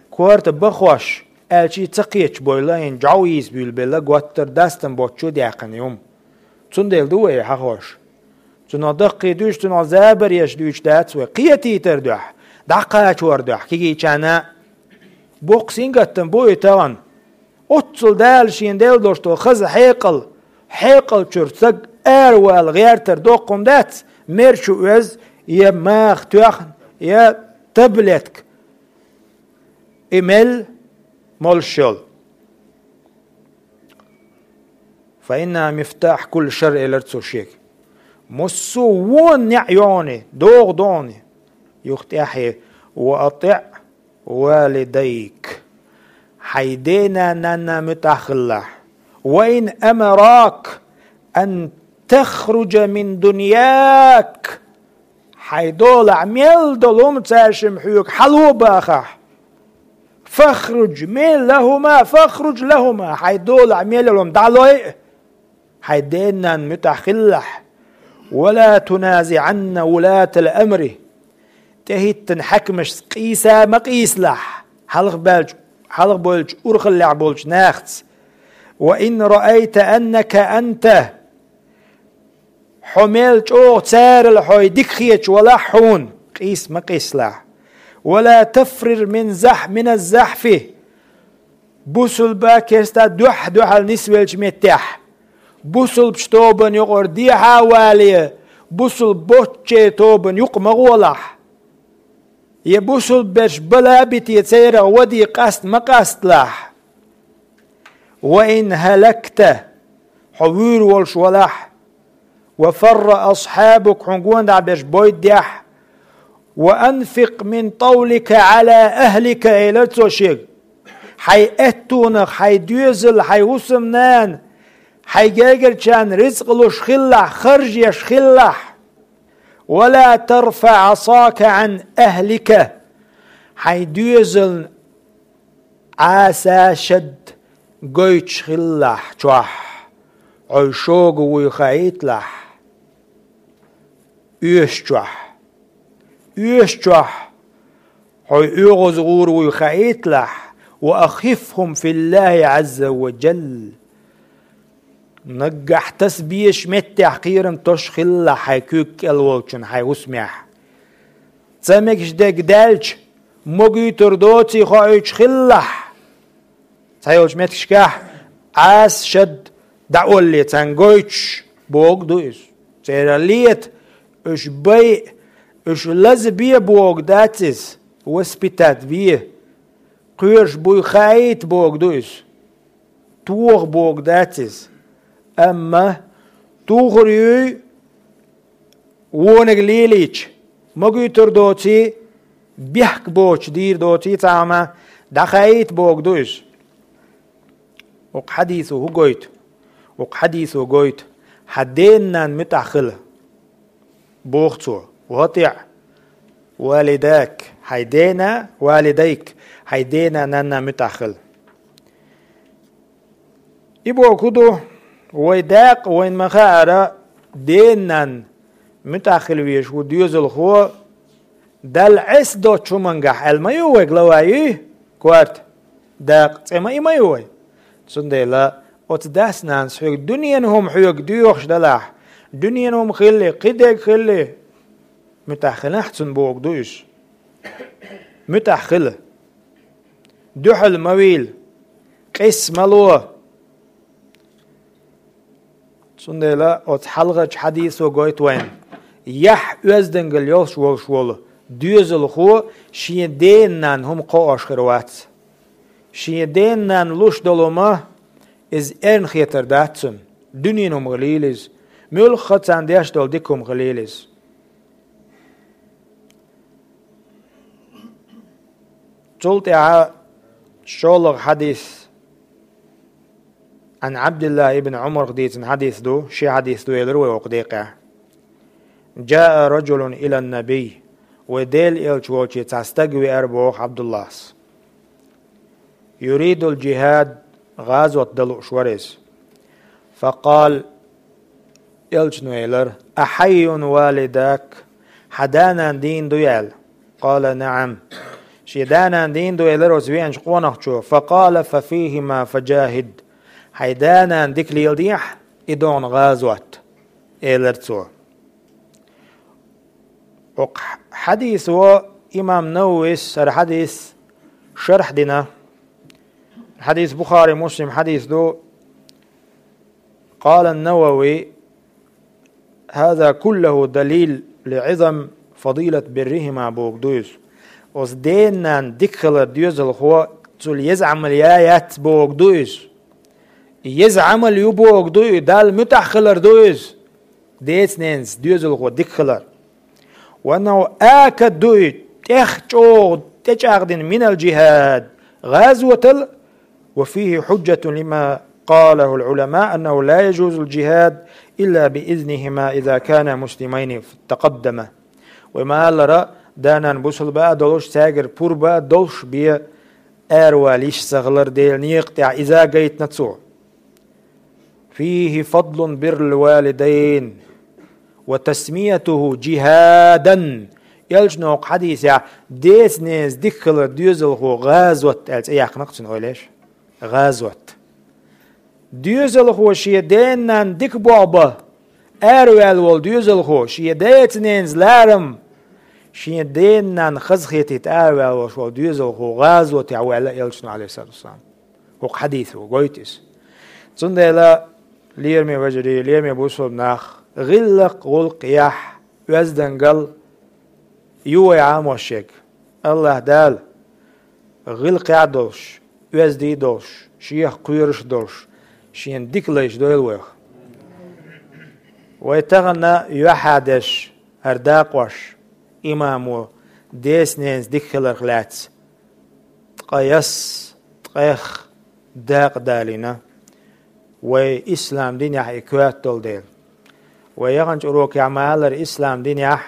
Корта бахош аьлча ца кхеташ бойла, хӀинца жӀов йийца буьйлабелла, готтара дастам боцчу а даьккхина и хӀума. Цундела ду вай хьахош. Цунах даккхий дуьйцуш, цунах забар еш дуьйцуш дац вай. Кхетийтар дуьхьа, дӀакхачор дуьхьа кегийчарна. Боккха сингаттам бу и тахана. Оццул Дала шена делла долуш долу хаза хьекъал, хьекъал чуьра стаг аравала гӀертар доккха хӀума дац, мерчу оьзна, я маха тоьхна, я таблетка. И мел молуш йолу. «Фа иннаха мифтахь кулли шарр», — элира цо шега. Массо а вон неӀ йогӀуни, догӀу догӀуни. Юха тӀаьхье: «Ва атиӀ валидайк». Хьайн дена-нанна муьтӀахь хилалахь. «Ва ин амарак ан тахруджа мин дуньяк». Хьайн долахь мел долу хӀума цаьршимма хьоьга хьало а бахахь. «Фахруж мин лахӀума, фахруж лахӀума». Хьайн долахь мел йолу хӀума дӀалой а. Хьайн дена-нанна муьтӀахь хилалахь. «Ва ла туназиӀанна вулатал амри». ТӀехӀиттина хьаькамашца къийса ма къийсалахь. Хьалха баьлча, хьалха бойлучу урхаллехь болчу нахаца. «Ва ин раайта аннака анта». Хьо мел чӀогӀа царал хьо дика хеташ валахь хьуна, къийса ма къийсалахь. «Ва ла тафрир мин захь-, мин аз-захьфи». Бусулба, керста дуьхь-дуьхьал нисвеллачу меттехь, бусулбачу тобанна юкъара дехьа а вале, бусулба боцчу тобанна юкъа ма гӀолахь. Я бусулба берш бала а бите, церах ваде къаста ма къасталахь. «Ва ин хӀалакта», хьо вуьйр волуш валахь, «ва фарра асхьабук», хьуна гонаха берш бойдехь, «Ва анфикъ мин тӀавлика гӀала ахлика», — элира цо шега. Хьайн аьттонах, хьайн доьзал, хьайн хӀусамнана, хьайн гергарчарна ризкъ луш хилалахь, харж еш хилалахь. «Ва ла тарфаъ Ӏасака Ӏан ахлика». Хьайн доьзална Ӏаса шад гойтуш хилалахь чохь, хьо шога вуй хаийталахь, оьшучохь. Оьшучохь хьо оьгӀаз гӀур вуй хаийталахь, «ва ахифхум филлахи Ӏазза ва джалла». Наггахь таса безачу меттехь кхерам тосуш хилалахь хьайн куьйга кӀел волчун хьайн хӀусамехь. Ца мегаш дерг даьлча, могуьйтур доций хоуьйтуш хилалахь. Цхьайолчу меттигашкахь Ӏаса шад дӀаолле царна гойтуш бохург ду иза. Церан лета, уьш байа, уьш лазабе бохург дац иза, воспитать бе. Кхоьруш буй хаийта бохург ду иза. Тоха бохург дац иза. Амма тухур юй, вониг лелийча, могуьйтур доций, бехк боцуш дийр доций цхьа хӀума, дӀахаийта бохург ду иза. Оцу хьадисо хӀун гойту? Оцу хьадисо гойту: хьан дена-нанна муьтӀахь хила, боху цо. «Ва атиъ валидак», хьайн дена, «валидайк», хьайн дена-нанна муьтӀахь хила. И бохург хӀун ду? Вай дакъа вайна ма-хаъара, дена-нанна муьтӀахь хила везаш ву доьзалхо, Далла Ӏеса доцучу хӀумангахь аьлла ма ю вай, глава ю, корта, дакъа цӀе ма и ма ю вай. Цундела оцу дас-нанас хьоьга дуьненан хӀума хьоьга доьхуш делахь, дуьненан хӀума хилли, кхидерг хилли, муьтӀахь хилахь цунна бохург ду иза. МуьтӀахь хила. Дуьхьал ма вийла, къийса ма ло. Цундела оцу хьалхарчу хьадисо гойту вайна: яхь оьздангалла йолуш волуш волу доьзалхо шен дена-нанна хӀума кхоош хир вац. Шен дена-нанна луш долу хӀума иза эрна хетар дац цунна, дуьненан хӀума хилийла иза, муьлхха а царна деш долу дика хӀума хилийла иза. Цул тӀаьхьа шолгӀа хьадис, Ӏан Ӏабдиллахь ибн Ӏумарх дийцина хьадис ду, ши хьадис ду элира вай окху декъехь. «Джаа раджулун илан-набий», вай Делан элча волчу цхьа стаг веара боху Ӏабдуллахьас. «Юридул джихад», гӀазот дан лууш вара иза. «Факъал», элчано элира: «Ахьаййун валидак?» Хьан да-нана дийна ду аьлла. «Къала: наӀам». Шен да-нана дийна ду элира оцу веанчу къонахчо. «Факъала: фа фийхима фаджахид». Хьайн да-нана дика леладехьа, и догӀна гӀазот, элира цо. Окху хьадисо имам Нававис хӀара хьадис шархь дина. Хьадис Бухари, Муслим хьадис ду. Къала Навави: «Хаза куллаху далил ли Ӏизам фадилат биррихима», бохург ду иза. Оцу дена-нанна дика хилар доьзалхо цул еза Ӏамал я яц бохург ду иза. Еза Ӏамал ю бохург ду и, Далла муьтӀахь хилар ду иза. Деца-ненаца доьзалхо дика хилар. «Ва аннаху акаду», тӀех чӀогӀа тӀечӀагӀдина, «минал джихад», гӀазотал, «ва фийхи хьуджатун лима къалахул Ӏулама, аннаху ла яджузул джихад илла би изнихима иза кана муслимайни, тақаддама». Вай ма-аллара, да-нана бусалба а долуш, цаьргара пурба а долуш бен аравала йиш ца хилар Делан некъа тӀехь иза гайтина цо. «Фийхи фадлун биррил валидайн ва тасмиятуху джихадан». Элчано хьадисехь деца-ненаца дика хилар доьзалхо гӀазот аьлла цӀе яьккхина-кх цуьнан, ойла еш. ГӀазот. Доьзалхо шен дена-нанна дика болх бан араваьлла волу доьзалхо, шен деца-ненаца ларам, шен дена-нанна хазахетийта араваьлла волуш волу доьзалхо гӀазотехь ву аьлла элчано, Ӏалайхиссалату вассалам. ХӀокху хьадисо гойту иза. Цундела, лераме вежарий, лераме бусалба нах, гӀиллакх, гӀуллакх яхь, оьздангалла ю вай Ӏамош ерг. АллахӀ Дала гӀиллакхехь а долуш, оьзда а долуш, шех кхоьруш а долуш, шена дика лайш дойла вайх. Вай тахана юьхьӀаьржа деш хӀара дакъош, имамо Деца-ненаца дика хиларх лаьцна ткъаь ас, ткъех дакъа далийна вай ислам динехь и коьрта долу дела. Вай яханчу урокехь ма-аллара, ислам динехь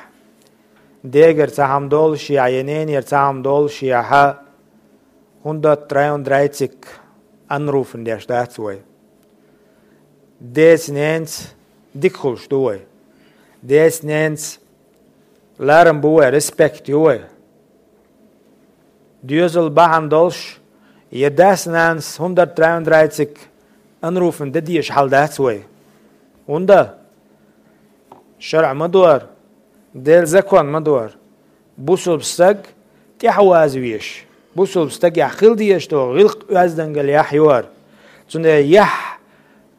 дегара цхьа хӀума доллушехь я ненера цхьа хӀума доллушехь, хӀунда-троюн-драйциг анруфен деш дац вай. Деца-ненаца дика хуьлуш ду вай. Деца-ненаца ларам бу вай, респект ю вай. Доьзал бахьана долуш, я дас-нанас хӀунда-троюн-драйциг анруфен де дезаш хьал дац вай. ХӀунда? ШарӀа ма дора, Делан закон ма дора. Бусалба стаг тӀаьхьаваза везаш, бусалба стагехь хила дезаш долу гӀиллакх, оьздангалла яхь ю хӀара. Цундела яхь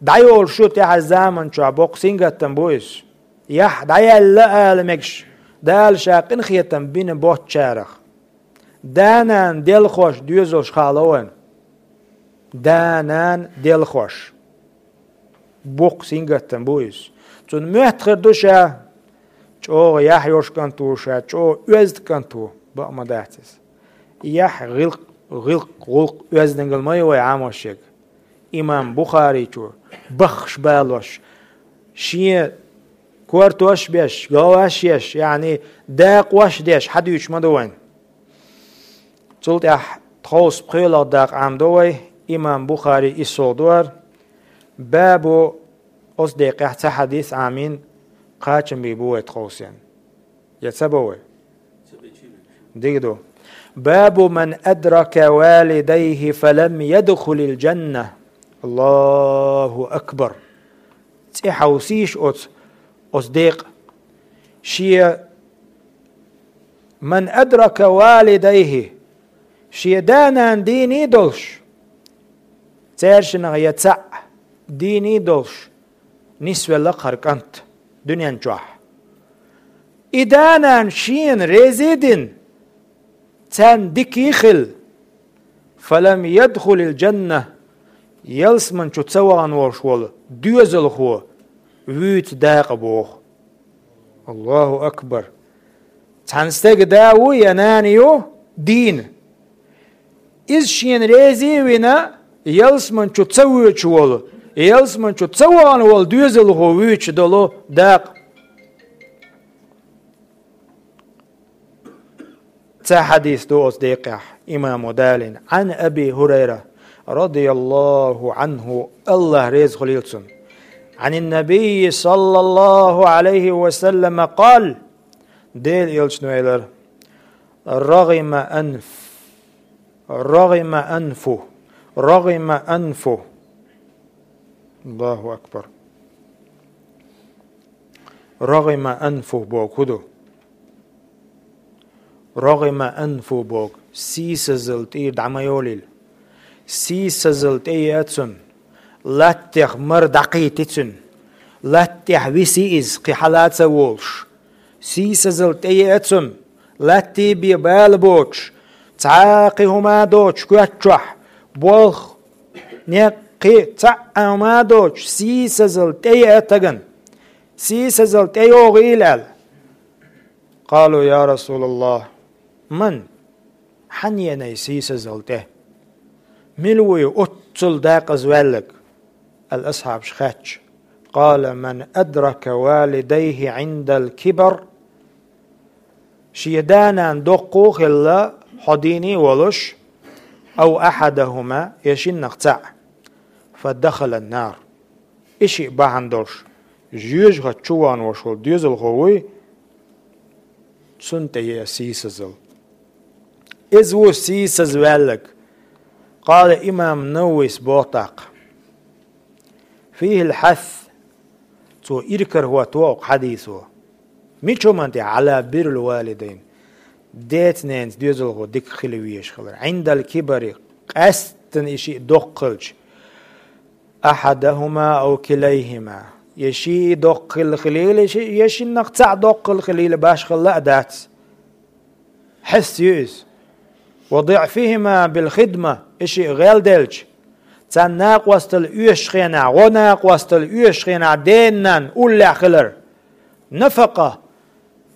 дӀайолуш ю тӀаьхьарчу заманчохь, боккха сингаттам бу иза. Яхь дӀаяьлла ала мегаш, Дала Ша къинхетам бина боцчарах. Да-нана делхош доьзалш хаало вайна. Да-нана делхош. Боккха сингаттам бу иза. Цунна моьттуш хир ду ша чӀогӀа яхь йолуш кӀант ву, ша чӀогӀа оьзда кӀант ву, бакъ ма дац иза. Яхь гӀиллакх, гӀиллакх, гӀуллакх, оьздангалла ма ю вай Ӏамош ерг. Имам Бухаричо баххаш балош, шен кортош а беш, говаш а еш, яъни дакъош а деш, хьадуьйцуш ма ду вайна. Цул тӀаьхьа тховса пхоьалгӀа дакъа Ӏамадо вай, имам Бухари иссалгӀа ду хӀара. Бабу, оцу декъехь цхьа хьадис Ӏамийна, кхачам бийр бу вай тховсенна. Я ца бо вай? Дика ду. Бабу ман адрака валидайхи фалам ядхулил джанна. Аллаху акбар. ЦӀе хьовсийша оцу, оцу декъа. Шен ман адрака валидайхи, шен да-нана дийний долуш, цаьршиннах я цхьаъ дийний долуш, нисвелла хӀара кӀант дуьнен чохь. И да-нана шена реза а дина, царна дика а хилла, фалам ядхулил джанна, ялсамани чу ца вахана волуш волу доьзалхо вуьйцу дакъа боху. Аллаху акбар! Цхьана стеган да ву я нана ю дийна. Иза шена реза а вина, ялсамани чу ца воьдуш волу, ялсамани чу ца вахана волу доьзалхо вуьйцуш долу дакъа. Цхьа хьадис ду оцу декъехь имамо далийна. Ӏан Аби ХӀурайра, радияллаху Ӏанху, Аллах реза хуьлийла цунна. Ӏанин Набийи, саллаллаху Ӏалайхи ва саллама, къала, Делан Элчано элира: «РагӀима анф, рагӀима анфу, рагӀима анфу». Аллаху акбар. «РагӀима анфу» боху хӀун ду? «РагӀима анфу» боху, сийсазалла тӀера дӀа ма йолийла. Сийсазалла тӀееа цунна, латтех мара дӀакхийти цуьнан, латтехь виси иза, кхин хьала а ца волуш. Сийсазалла тӀееа цунна, латте бен бала боцуш, цхьа а кхин хӀума а доцуш коьрта чохь, болх, некъ, кхин цхьа а хӀума а доцуш, сийсазалла тӀееа стагана. Сийсазалла тӀейогӀийла аьлла. Къалу: «Я Расулаллах, ман?» Хьан еанай сийсазалла тӀе? Мила вуй оццул декъаза ваьлларг? Аьлла асхьабаша хаьттича, къала: «Ман адрака валидайхи Ӏиндал кибар». Шен да-нана доккха а хилла, хьо дийна а волуш, ау ахьадахума, я шиннах цхьаъ, фа дахалан нар. И шиъ бахьана долуш, жоьжахати чу вахана волуш волу доьзалхо вуй, цунна тӀееа сийсазалла. Иза ву сийсаза ваьлларг. Къала имам Нававис боху тӀаккха: «Фихил хьас», цо иракарахӀотто окху хьадисо. Мича хӀуманна тӀе? «Ӏала биррил валидайн». Деца-ненаца доьзалхо дика хила везаш хилар. «Ӏиндал кибари», къаьсттина и шиъ доккха хилча. «Ахьадахума ау килайхима». Я шиъ доккха хилла хилийла, я ши-, я шиннах цхьаъ доккха хилла хилийла, башхалла а дац. Хьес ю иза. «Ва диъфихима бил хидма», и шиъ гӀел делча, царна накъосталла оьшучу хенахь, гӀо накъосталла оьшучу хенахь дена-нанна уллехь хилар. Нафакъа.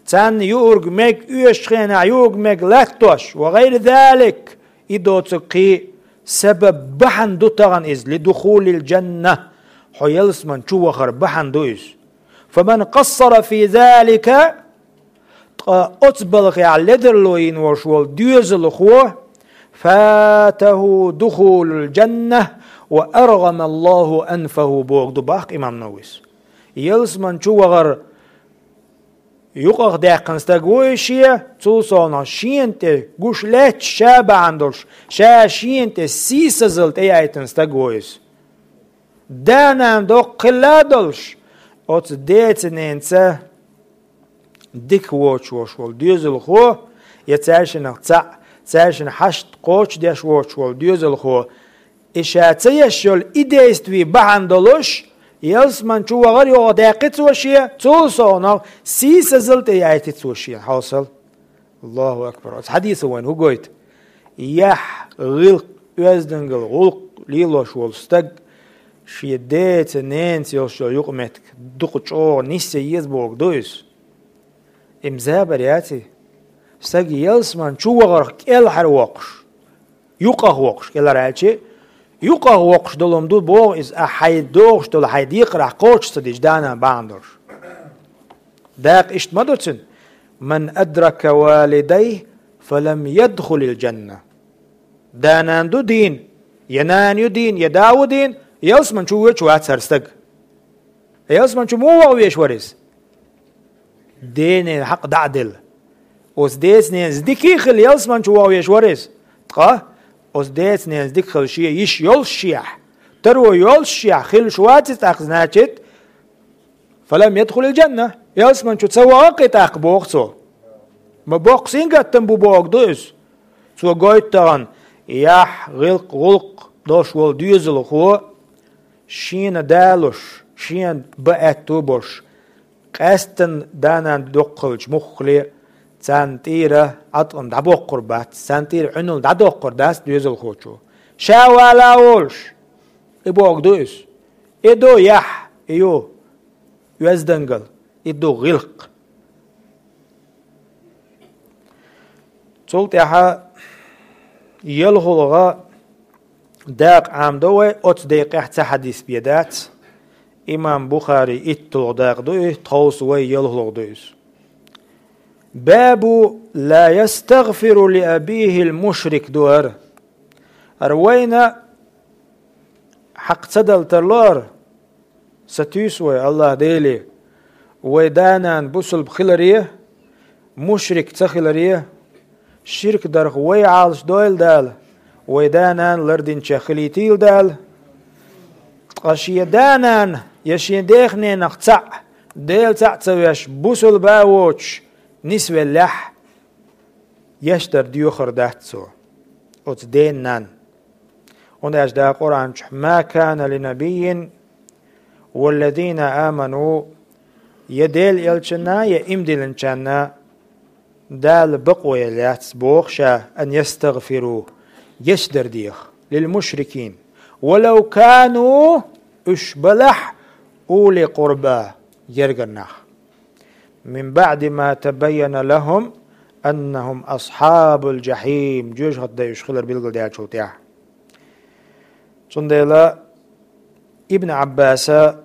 царна юург мег оьшучу хенахь юург мег латтош, ва гӀайри залик, и доцург кхин сабаб бахьана ду тахана иза, ли духулил джанна, хьо ялсман чу вахар бахьана ду иза. Фаман къассара фи залика, ткъа оцу балхехь ледарло йина волуш волу доьзалхо, фатаху духулул джанна ва аргӀамаллаху анфаху, боху ду баккха имам Нававис. Ялсман чу вахар юкъах даьккхина стаг ву и шен, цул совнах шена тӀе гуш лаьтташ ша бахьана долуш, ша шена тӀе сийсазалла тӀеяйтина стаг ву иза. Да-нана доккха хилла а долуш, оцу деца-ненаца дика воцуш волуш волу доьзалхо, я цаьршинах цхьаъ, цаьршинна хьашт кхочушдеш воцуш волу доьзалхо, и ша ца еш йолу и действие бахьана долуш, ялсман чу вахар юкъах даьккхи цо шен, цул совнах сийсазалла тӀеяйти цо шен хьовсал. Аллаху акбар. Оцу хьадиса вайна хӀун гойту? Яхь, гӀиллакх, оьздангалла, гӀуллакх лелош волу стаг шен деца, ненаца йолуш йолу юкъаметтиг дукха чӀогӀа нисъян еза боху ду иза. Имза бар яций? Стаг ялсман чу вахарх кӀелхьара воккхуш, юкъах воккхуш, кӀелхьара аьлчи, юкъах воккхуш долу ма ду боху иза, ахьа хьайн догӀуш долу хьайн декхарехь кхочуш ца дича, да-нана бахьана долуш. Дакъа иштта ма ду цуьнан: «Ман адрака валидайхи, фалам ядхулил джанна». Да-нана ду дийна, я нана ю дийна, я да ву дийна, ялсман чу воьдуш вац хӀара стаг. Ялсман чу муха ваха везаш вара иза? Ден-ненан хьакъ дӀа а делла. Оцу деца-ненаца дика а хилла, ялсман чу ваха везаш вара иза. Ткъа оцу деца-ненаца дика хилла шен йиш йолушшехь, таро йолушшехь хилла вац иза тӀаккха, значит, «Фалам ядхулил джанна». Ялсман чу ца ваха-кх и тӀаккха, боху цо. Ма боккха сингаттам бу боху ду иза. Цо гойту тахана, яхь, гӀиллакх, гӀуллакх долуш волу доьзалхо, шена далуш, шена бан аьтту болуш, къаьсттина да-нана доккха хилча муххале, царна тӀера Ӏаткъам дӀабоккхур бац, царна тӀера Ӏуьнал дӀадоккхур дац доьзалхочо. Ша вала а волуш, и боху ду иза. И ду яхь, и ю оьздангалла, и ду гӀиллакх. Цул тӀаьхьа ялхалгӀа дакъа Ӏамадо вай, оцу декъехь цхьа хьадис бен дац. Имам Бухари итталгӀа дакъа ду и, тховса вай ялхалгӀа ду иза. «Бабу ла ястагъфиру ли абихил мушрик» ду хӀара. ХӀара вайна хьакха ца дала тарло хӀара. Сатуьйсу вай, Аллах Деле, вай да-нана бусулба хиларе, мушрик ца хиларе, ширк дарх вай Ӏалашдойла Дала, вай да-нана лардинчех хилийтийла Дала. Ткъа шен да-нана я шен дех-ненах цхьаъ, Дела цхьаъ ца веш, бусулба а воцуш, нисвеллехь, еш дар доьхур дац цо оцу ден-нанна. ХӀунда аьлча Дала Къуръан чохь: «Ма кана ли набиййин валлазина аману», я Делан элчанна, я иман диллинчарна Дала бакъо елла яц, боху ша, «ан ястагъфиру», еш дар деха, «лил мушрикин, валав кану», уьш балахь, «ули къурба», гергара нах. «Мин баъди ма табайяна лахум аннахум асхьабул джахьим», жоьжахатин дай уьш хилар билгалдаьллачул тӀаьхьа. Цундела Ибн Ӏаббаса: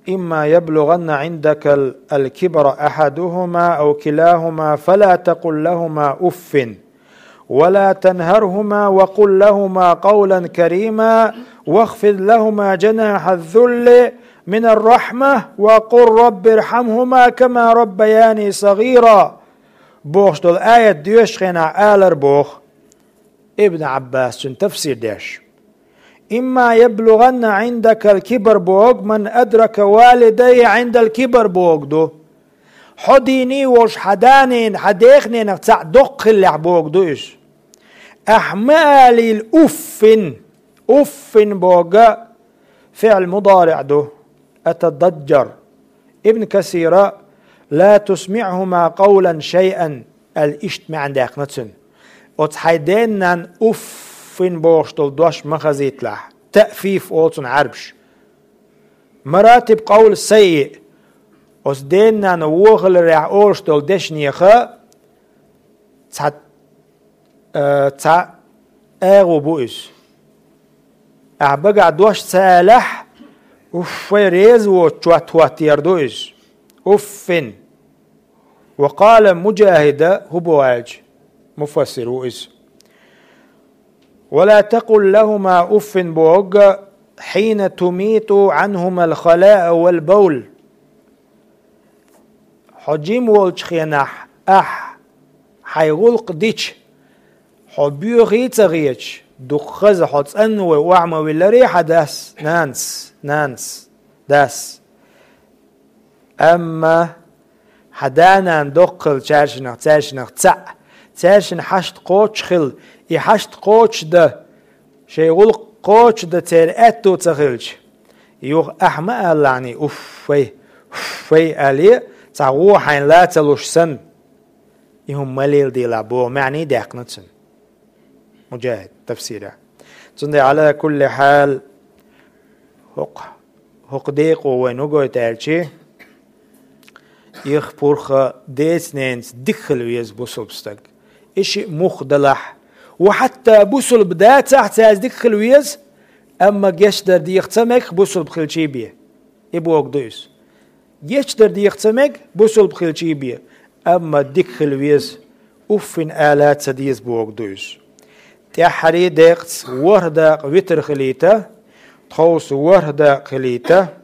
«Имма яблугъанна Ӏиндакал, ал-кибра ахьадухума ав килахума, фала такъул лахума уффин». «ولا تنهرهما وقل لهما قولا كريما واخفض لهما جناح الذل من الرحمة وقل رب ارحمهما كما ربياني صغيرا», бохуш долу аят доьшучу хенахь алар боху Ибн Ӏаббас, цуьнан тафсир деш. «Имма яблугъанна Ӏиндакал кибар» боху, «ман адрака валидайхи Ӏиндал кибар» боху ду. Хьо дийний волуш хьан да-ненан, хьан дех-ненах цхьаъ доккха хиллехь боху ду иза. Ахьа ма алийла уффин. Уффин боху фиъл мудариъ ду. Атададжжар. Ибн Касира: «Ла тусмиъхума къавлан шайъан», аьлла иштта маьӀна даьккхина цуьнан. Оцу хьайн ден-нанна уффин бохуш долу дош ма хазийталахь. Таъфиф олу цунах Ӏарбаша. Маратиб къавл саййиъ. Оцу ден-нана вохаларехь олуш долу дешнеха цхьа, э, цхьа агӀо бу иза. Ахьа багахь дош ца алахь, уффай реза воцу чот хӀоттор ду иза. Уффин! Ва къала Муджахида, хӀун боху аьлча, муфассир ву иза. «Ва ла такъул лахума уффин», боху, «хьина тумиту Ӏанхума ал-халаа вал бавл». Хьо жима волчу хенахь ахь хьайн гӀуллакх дича, хьо боьхий а ца хеташ, дукха хаза хьо цӀанвой охьа ма вилларий хьан дас, нанас, нанас, дас. Амма хьан да-нана доккха хилча цаьршинах, цаьршинах цхьаъ, цаьршинна хьашт кхочуш хила, и хьашт кхочушдан, шайн гӀуллакх кхочушдан церан аьтто ца хилча, юха ахь ма алалахьаний: «Уффай, уффай», — аьлла, цхьа гӀо хьайна ла ца луш санна. И хӀума ма леладелахь боху маьӀний даьккхина цуьнан. Муджахид тафсира. Цундела, Ӏала кулли хьал, хӀокху, хӀокху декъо вайна хӀун гойту аьлча, ирх-пурх деца-ненаца дика хила веза бусулба стаг. И шиъ муха далахь, ва хьатта бусулба дацахь, цаьрца дика хила веза, амма гечдар деха ца мега бусулба хилчий бен. И бохург ду иза. Гечдар деха ца мега бусулба хилчий бен, амма дика хила веза, уффин ала ца деза бохург ду иза. ТӀаьххьарий декъаца ворхӀ дакъа витр хилийта, тховса ворхӀ дакъа хилийта,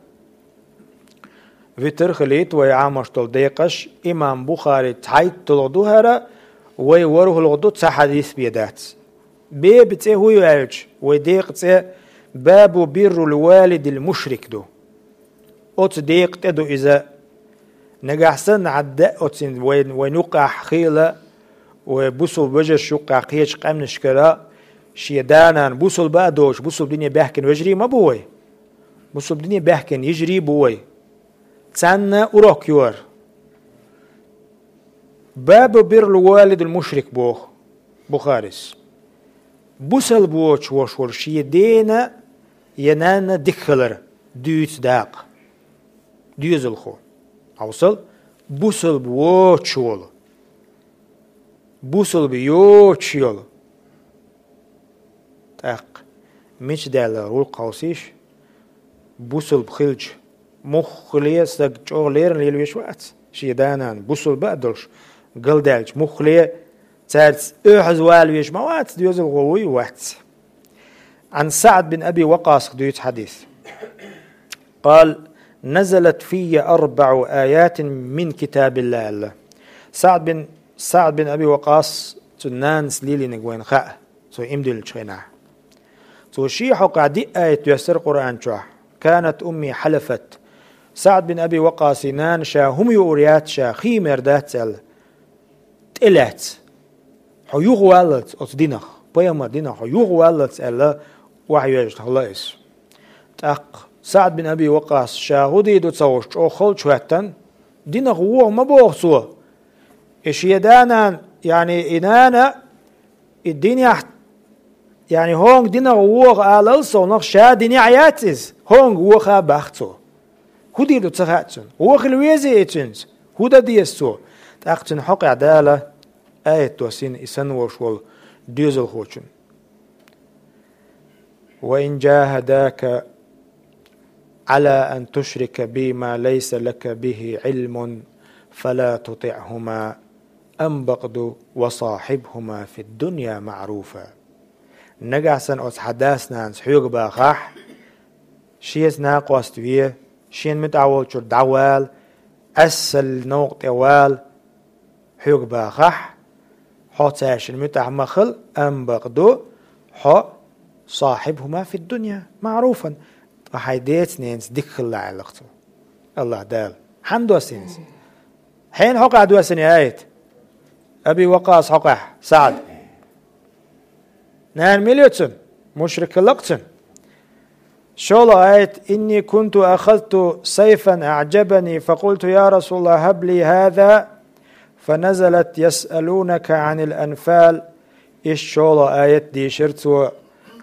витр хилийта вай Ӏамош долу декъаш, имам Бухари цхьайтталгӀа ду хӀара, вай ворхӀалгӀа ду, цхьа хьадис бен дац. Беба цӀе хӀун ю аьлча, вай декъа цӀе «Бабу биррул валидил мушрик» ду. Оцу декъа тӀе ду иза. Нагахь санна хьан да оцин вайн, вайн юккъехь хийла, вай бусулба вежарш юккъехь кхечу къаьмнашкара, шен да-нана бусулба а доцуш, бусулба дине баьхкина вежарий ма бу вай. Бусулба дине баьхкина йижарий бу вай. Царна урок ю хӀара. «Бабу биррул валидил мушрик», боху Бухарис. Бусалба воцуш волуш волу шен дена я нанна дика хилар дуьйцу дакъа. Доьзалхо. Хьовсал, бусалба воцуш волу. Бусалба йоцуш йолу. ТӀаккха мича даьлла гӀуллакх хьовсийша, бусалба хилча, муххале стаг чӀогӀа леррина лелавеш вац, шен да-нана бусалба а долуш, галдаьлча, муххале цаьрца оьхьаз валавеш ма вац, доьзалхо вуй, вац. Ӏан СаӀд бин Аби Вакъасах дуьйцу хьадис. Къала: «Назалат фийя арбаӀу аятин мин китабилла», аьлла. СаӀд бин, СаӀд бин Аби Вакъас, цуьнан нанас лелийнарг вайна хаьа. Цо иман диллинчу хенахь. Цо шен хьокъехь диъ аят доьссира Къуръан чохь. «Канат умми хьалафат». СаӀд бин Аби Вакъасин нана ша хӀума юур яц, ша хиймер дац аьлла, тӀелаьцна. Хьо юхаваллалц оцу динах, пайхамар динах хьо юхаваллалц аьлла, охьайоьжна хилла иза. ТӀаккха СаӀд бин Аби Вакъас ша хӀун дийр ду ца хууш чӀогӀа халчу хӀоьттина, динах воха ма боху цо. И шен да-нана, яъни и нана, и динехь, яъни хӀонга динах воха алал совнах, ша динехь яц иза, хӀонга воха баха цо. ХӀун дийр ду ца хаьа цунна. Вохийла везий и цуьнца? ХӀун дан деза цо? ТӀаккха цуьнан хьокъехь Дала аят доссийна и санна волуш волу доьзалхочунна. «Ва ин джахадака Ӏала ан тушрика би ма лайса лака бихи Ӏилмун, фала тутиӀхума, амма бакъду ва сахьибхума фид-дунья маӀруфа». Нагахь санна оцу хьан дас-нанас хьоьга бахахь, шеца накъост ве, шена муьтӀахь волчуьра дӀавала, Ӏесалла новкъа тӀе вала, хьоьга бахахь, хьо цаьршинна муьтӀахь ма хила, амма бакъду, хьо сахьибхума фид-дунья маӀруфан, ткъа хьайн деца-ненаца дика хила аьлла-кх цо. АллахӀ Дала. Хьанна доссийна иза? Хьенан хьокъехь доссийна и аят? Аби Вакъас хьокъехь, СаӀд. Нана мила ю цуьнан? Мушрик хилла-кх цуьнан. ШолгӀа аят: «Инни кунту ахазту сайфан аӀжабани, факъулту: я Расулаллах, хӀаб ли хӀаза, фаназалат ясъалунака Ӏанил анфал». Иштта шолгӀа аят дийшира цо,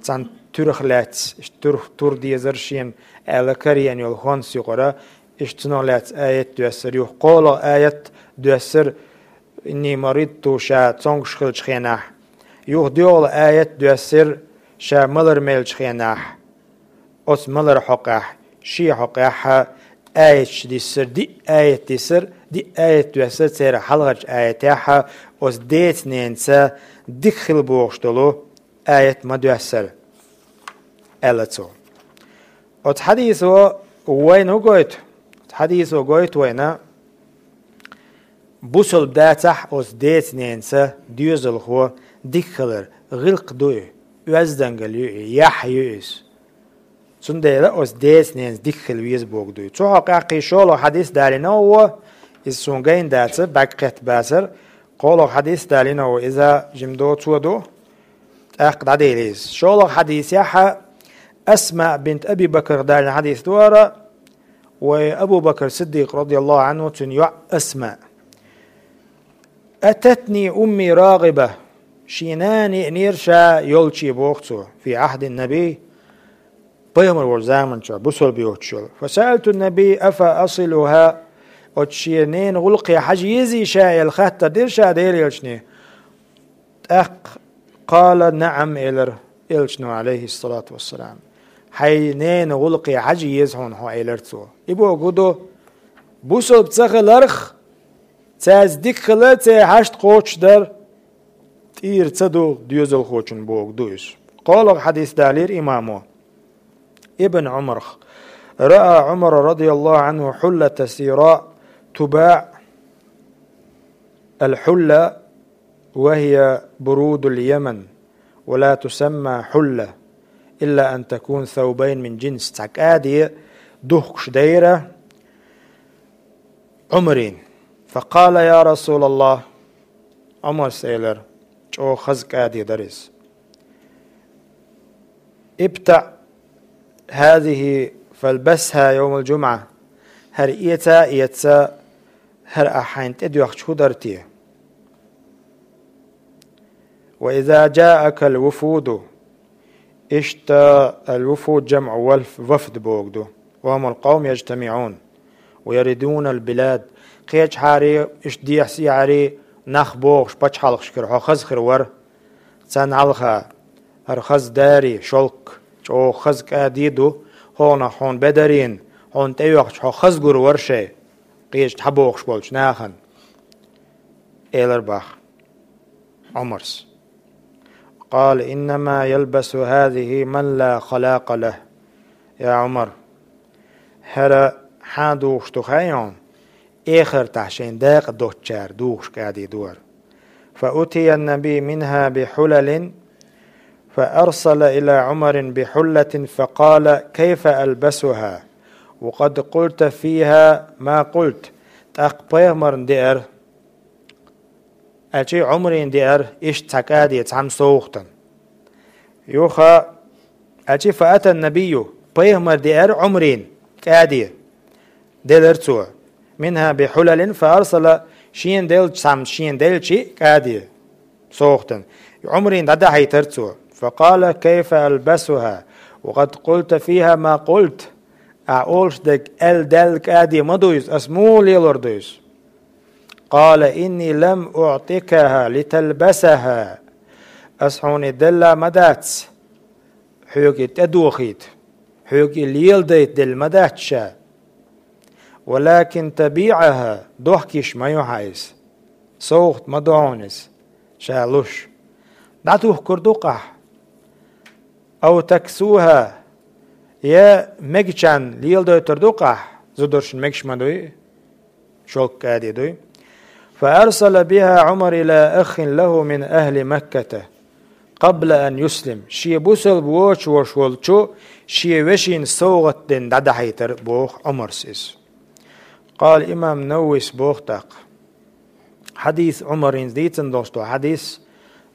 цхьана туьрах лаьцна, иштта туьрах, тур дезара шена аьлла караеана йолу хӀонс юкъара, Иштта цунах лаьцна аят доьссар, юха кхоалгӀа аят доьссар, «إني مرضت», ша цомгаш хиллачу хенахь. Юха доьалгӀа аят доьссар, ша малар меллачу хенахь. Оцу малар хьокъехь, шен хьокъехь аяташ диссар, диъ аят диссар, диъ аят доьссар, церан хьалхарчу аятехь оцу деца-ненаца дика хила бохуш долу аят ма доьссара, аьлла цо. Оцу хьадисо вайна хӀун гойту? Оцу хьадисо гойту вайна, бусалба дацахь оцу деца-ненаца доьзалхо дика хилар, гӀиллакх ду и, оьздангалла ю и, яхь ю иза. Цундела оцу деца-ненаца дика хила веза бохург ду и. Цу хьокъехь кхин шолгӀа хьадис далийна а ву, иза суна гайна дац, бӀаьрг кхетта бацара, кхоалгӀа хьадис далийна а ву, иза жима доцо ду, тӀаккха дӀаделла иза. ШолгӀа хьадисехь Асма бинт Аби Бакр далийна хьадис ду хӀара, вай Абу Бакр Сиддикъ, радияллаху Ӏанху, цуьнан йоӀ Асма. «أتتني أمي راغبة», шен нана еанера ша йолчу, боху цо, «في عهد النبي», пайхамар волчу заманчохь, бусалба йоцуш йолу. «فسألت النبي أفأصلها», оцу шен ненан гӀуллакхе хьажа езий ша аьлла хаттар дира ша Делан элчане. ТӀаккха «قال نعم», элира элчано, Ӏалайхиссалату вассалам. «Хьайн ненан гӀуллакхе хьажа еза хьуна хьо», элира цо. И бохург ду, бусалба ца хиларх, цаьрца дика хила, церан хьашт кхочушдар тӀера ца ду доьзалхочун бохург ду иза. КхоалгӀа хьадис далийра имамо. Ибн Ӏумарх: «رأى عمر رضي الله عنه حلة سيراء تباع». الحلة وهي برود اليمن، ولا تسمى حلة إلا أن تكون ثوبين من جنس. Цхьа кӀади духкуш дайра Ӏумарна. فقال: «يا رسول الله», Ӏумарс элира, чӀогӀа хаза кӀади дара иза. «ابتع هذه فالبسها يوم الجمعة». ХӀара эца а эца, хӀара ахь хьайна тӀедоьхча хӀун дара те? «وإذا جاءك الوفود». Иштта الوفود جمع وفد бохург ду. «وهم القوم يجتمعون ويردون البلاد». Кхечахьара, иштта дехьа-сехьара нах богӀуш пачхьалкхашкара хьо хаза хир вара. Царна хьалха хӀара хаза дари, шелк, чӀогӀа хаза кӀади ду, хӀокхунах хьуна бедарийна, хьуна тӀейоьхча хьо хаза гур вара шайн, кхечу дӀабогӀуш болчу нахана, элира боху Ӏумарс. قال: «إنما يلبس هذه من لا خلاق له». Я Ӏумар, хӀара хьан духуш ду хаий хьуна? Эхартахь шайн дакъа доцучара духуш кӀади ду хӀара. «فأتي النبي منها بحلل فأرسل إلى عمر بحلة فقال: كيف ألبسها وقد قلت فيها ما قلت». ТӀаккха пайхамарна деара, аьлчи Ӏумарна деара иштта цхьа кӀади, цхьамма совгӀатана. Юха, аьлчи, «فأتى النبي», пайхамар деара Ӏумарна кӀади, делира цо. «منها بحلل فأرسل», шена делча цхьамма, шена делчи кӀади, совгӀатана. Ӏумарна дӀадахьийтара цо. «فقال: كيف ألبسها وقد قلت فيها ما قلت». Ахь олуш дерг аьлла даьлла кӀади ма ду иза, ас муха лелор ду иза? «قال: إني لم أعطكها لتلبسها». Ас хьуна и делла ма дац, хьоьга и тӀедохийта, хьоьга и леладайта делла ма дац ша. «ولكن تبيعها», дохкийш ма ю хьан иза. СовгӀат ма ду хьуна иза, ша луш. ДӀатухкур ду-кх ахь. «أو تكسوها», я мегачарна леладойтур ду-кх ахь, зударшна мегаш ма дуй, шелк кӀади дуй. «فأرسل بها عمر إلى أخ له من أهل مكة قبل أن يسلم». Шен бусалба воцуш волчу шен вешина совгӀат дина дӀадахьийтара, боху Ӏумарс иза. قال الإمام النووي, боху тӀаккха. Хьадис, Ӏумарна дийцина долуш долу хьадис,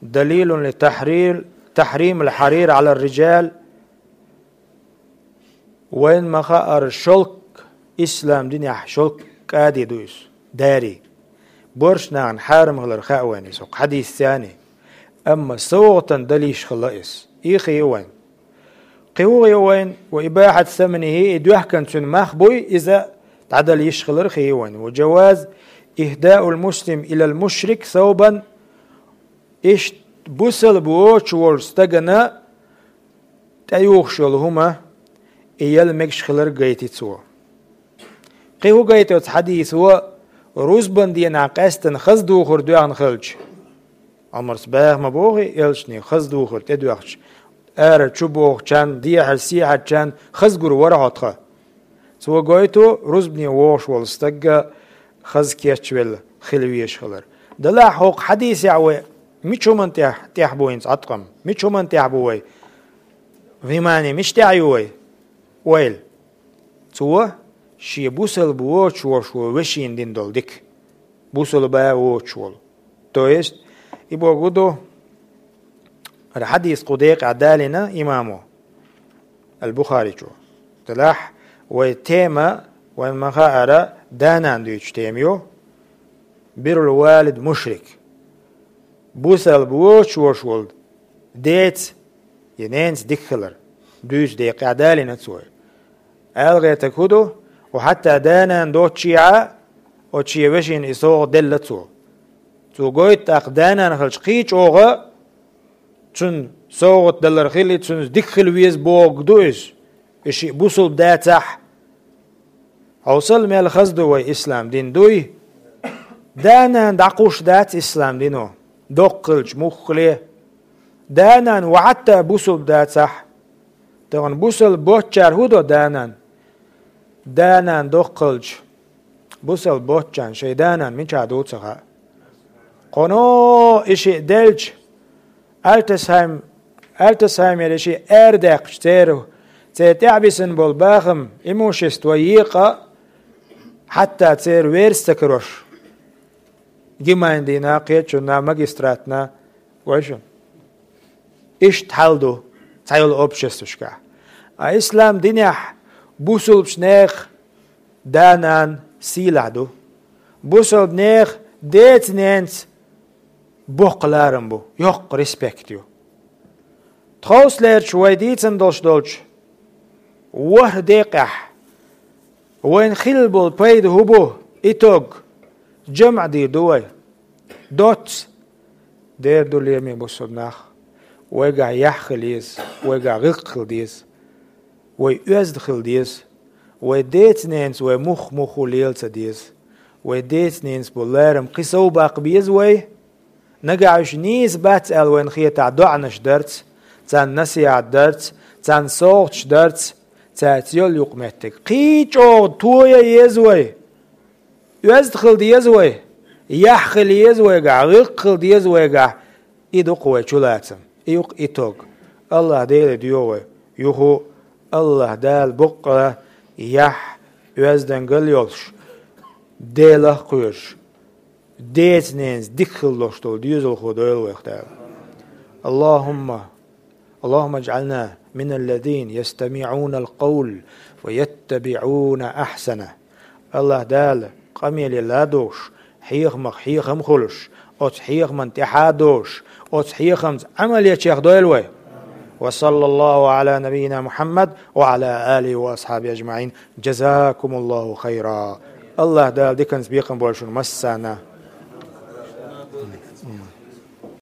دليل لتحرير، تحريم الحرير على الرجال. Вайна ма-хаъара, шелк, ислам динехь шелк кӀади ду иза, дари. Боьрша нахана хьарам хилар хаьа вайна иза, хӀокху хьадисца а. Амма совгӀатана далийш хилла иза. И хи ю вайна. Кхин хӀун хи ю вайна? «وإباحة ثمنه», и доьхкан цуьнан мах буй, иза дӀадала йиш хилар хий вайн. وجواز إهداء المسلم إلى المشرك ثوبا, иштта бусалба воцуш волчу стагана тӀеюхуш йолу хӀума, и яла мегаш хилар гайти цо. Кхин хӀун гайти оцу хьадисо, рузбан дийнахь къаьстина хаза духар доьхна хилча? Ӏумарс баха ма боху, элчане хаза духар тӀедоьхча, ара чу бохучарна, дехьара сехьарчарна хаза гур вара хьо тхан. Цо гойту, рузбане вогӀуш волу стагга хаза кечвелла хила везаш хилар. Делахь хӀокху хьадисехь вай мича хӀуманна тӀехь, тӀехь бу хӀинца Ӏаткъам? Мича хӀуманна тӀехь бу вай? Внимание мича тӀехь ю вай? Ойла. Цо шен бусалба воцуш волуш волу вешина дина долу дика. Бусалба воцуш волу. То есть, и бохург ду, хӀара хьадис кху декъехь далийна имамо, Ал-Бухаричо. Делахь вай тема, вайн ма-хаара, да-нана дуьйцуш тема ю. Биррул валид мушрик. Бусалба воцуш волуш волу деца я ненаца дика хилар. Дуьйцу декъехь далийна цо. Ала гӀертарг хӀун ду? Ва хьатта да-нана доцучехьа, оцу шен вешина и совгӀат делла цо. Цо гойту тӀаккха да-нана хилча кхин чӀогӀа, цунна совгӀат далар хили, цунна дика хила веза бохург ду иза. И шиъ бусалба дацахь, хьовсал мел хаза ду вай ислам дин дуй. Да-нана дӀакхуссуш дац ислам дино, доккха хилча муххале. Да-нана ва хьатта бусалба дацахь, тахана бусалба боцчара хӀун до да-нана? Да-нана доккха хилча, бусалба боцчарна шайн да-нана мичахь ду ца хаьа. Кхуьно и шиъ делча, Альцгейм-, Альцгеймер и шиъ арадаьккхича церан, церан тӀаьхьабисина болу бахам, имущество екъа, хьатта церан верас ца карош. Гимайндина, кхечунна, магистратна, гой шуна. Иштта хьал ду цхьа йолу обществашкахь. А ислам динехь бусалбачу нехан да-нана сийлахь ду. Бусалба нехан деца-ненаца боккха ларам бу, йоккха респект ю. Тховсалерчу вай дийцина долуш долчу ворхӀ декъехь вайна хилла болу пайда хӀун бу? Итог, жамӀ дийр ду вай. Доцца. Дера ду, лераме бусалба нах. Вайгахь яхь хила еза, вайгахь гӀиллакх хила деза. Вай оьзда хила деза. Вай деца-ненаца вай мух-муху лела ца деза. Вай деца-ненаца болу ларам кхин сов баккха беза вай. Нагахь уьш нийса бац аьлла вайна хетахь, доӀанаш дарца, царна насихьат дарца, царна совгӀаташ дарца, цаьрца йолу юкъаметтиг кхин чӀогӀа тоя еза вай. Оьзда хила деза вай, яхь хила еза вайгахь, гӀиллакх хила деза вайгахь, и ду-кх вай чулацам, и ю-кх итог. АллахӀ Дела доьху вай юху, АллахӀ Дала боккъала яхь, оьздангалла йолуш, Делах кхоьруш, деца-ненаца дика хила луш долу доьзалхо дойла вайх Дала. АллахӀумма اللهم اجعلنا من الذين يستمعون القول فيتبعون أحسنه. АллахӀ Дала къамеле ладугӀуш, хьехамах хьехам хуьлуш, оцу хьехаман тӀаьхьа а долуш, оцу хьехамца Ӏамал ечех дойла вай. وصلى الله على نبينا محمد وعلى آله وأصحابه أجمعين. جزاكم الله خيرا. АллахӀ Дала диканца бекхам бойла шуна массарна.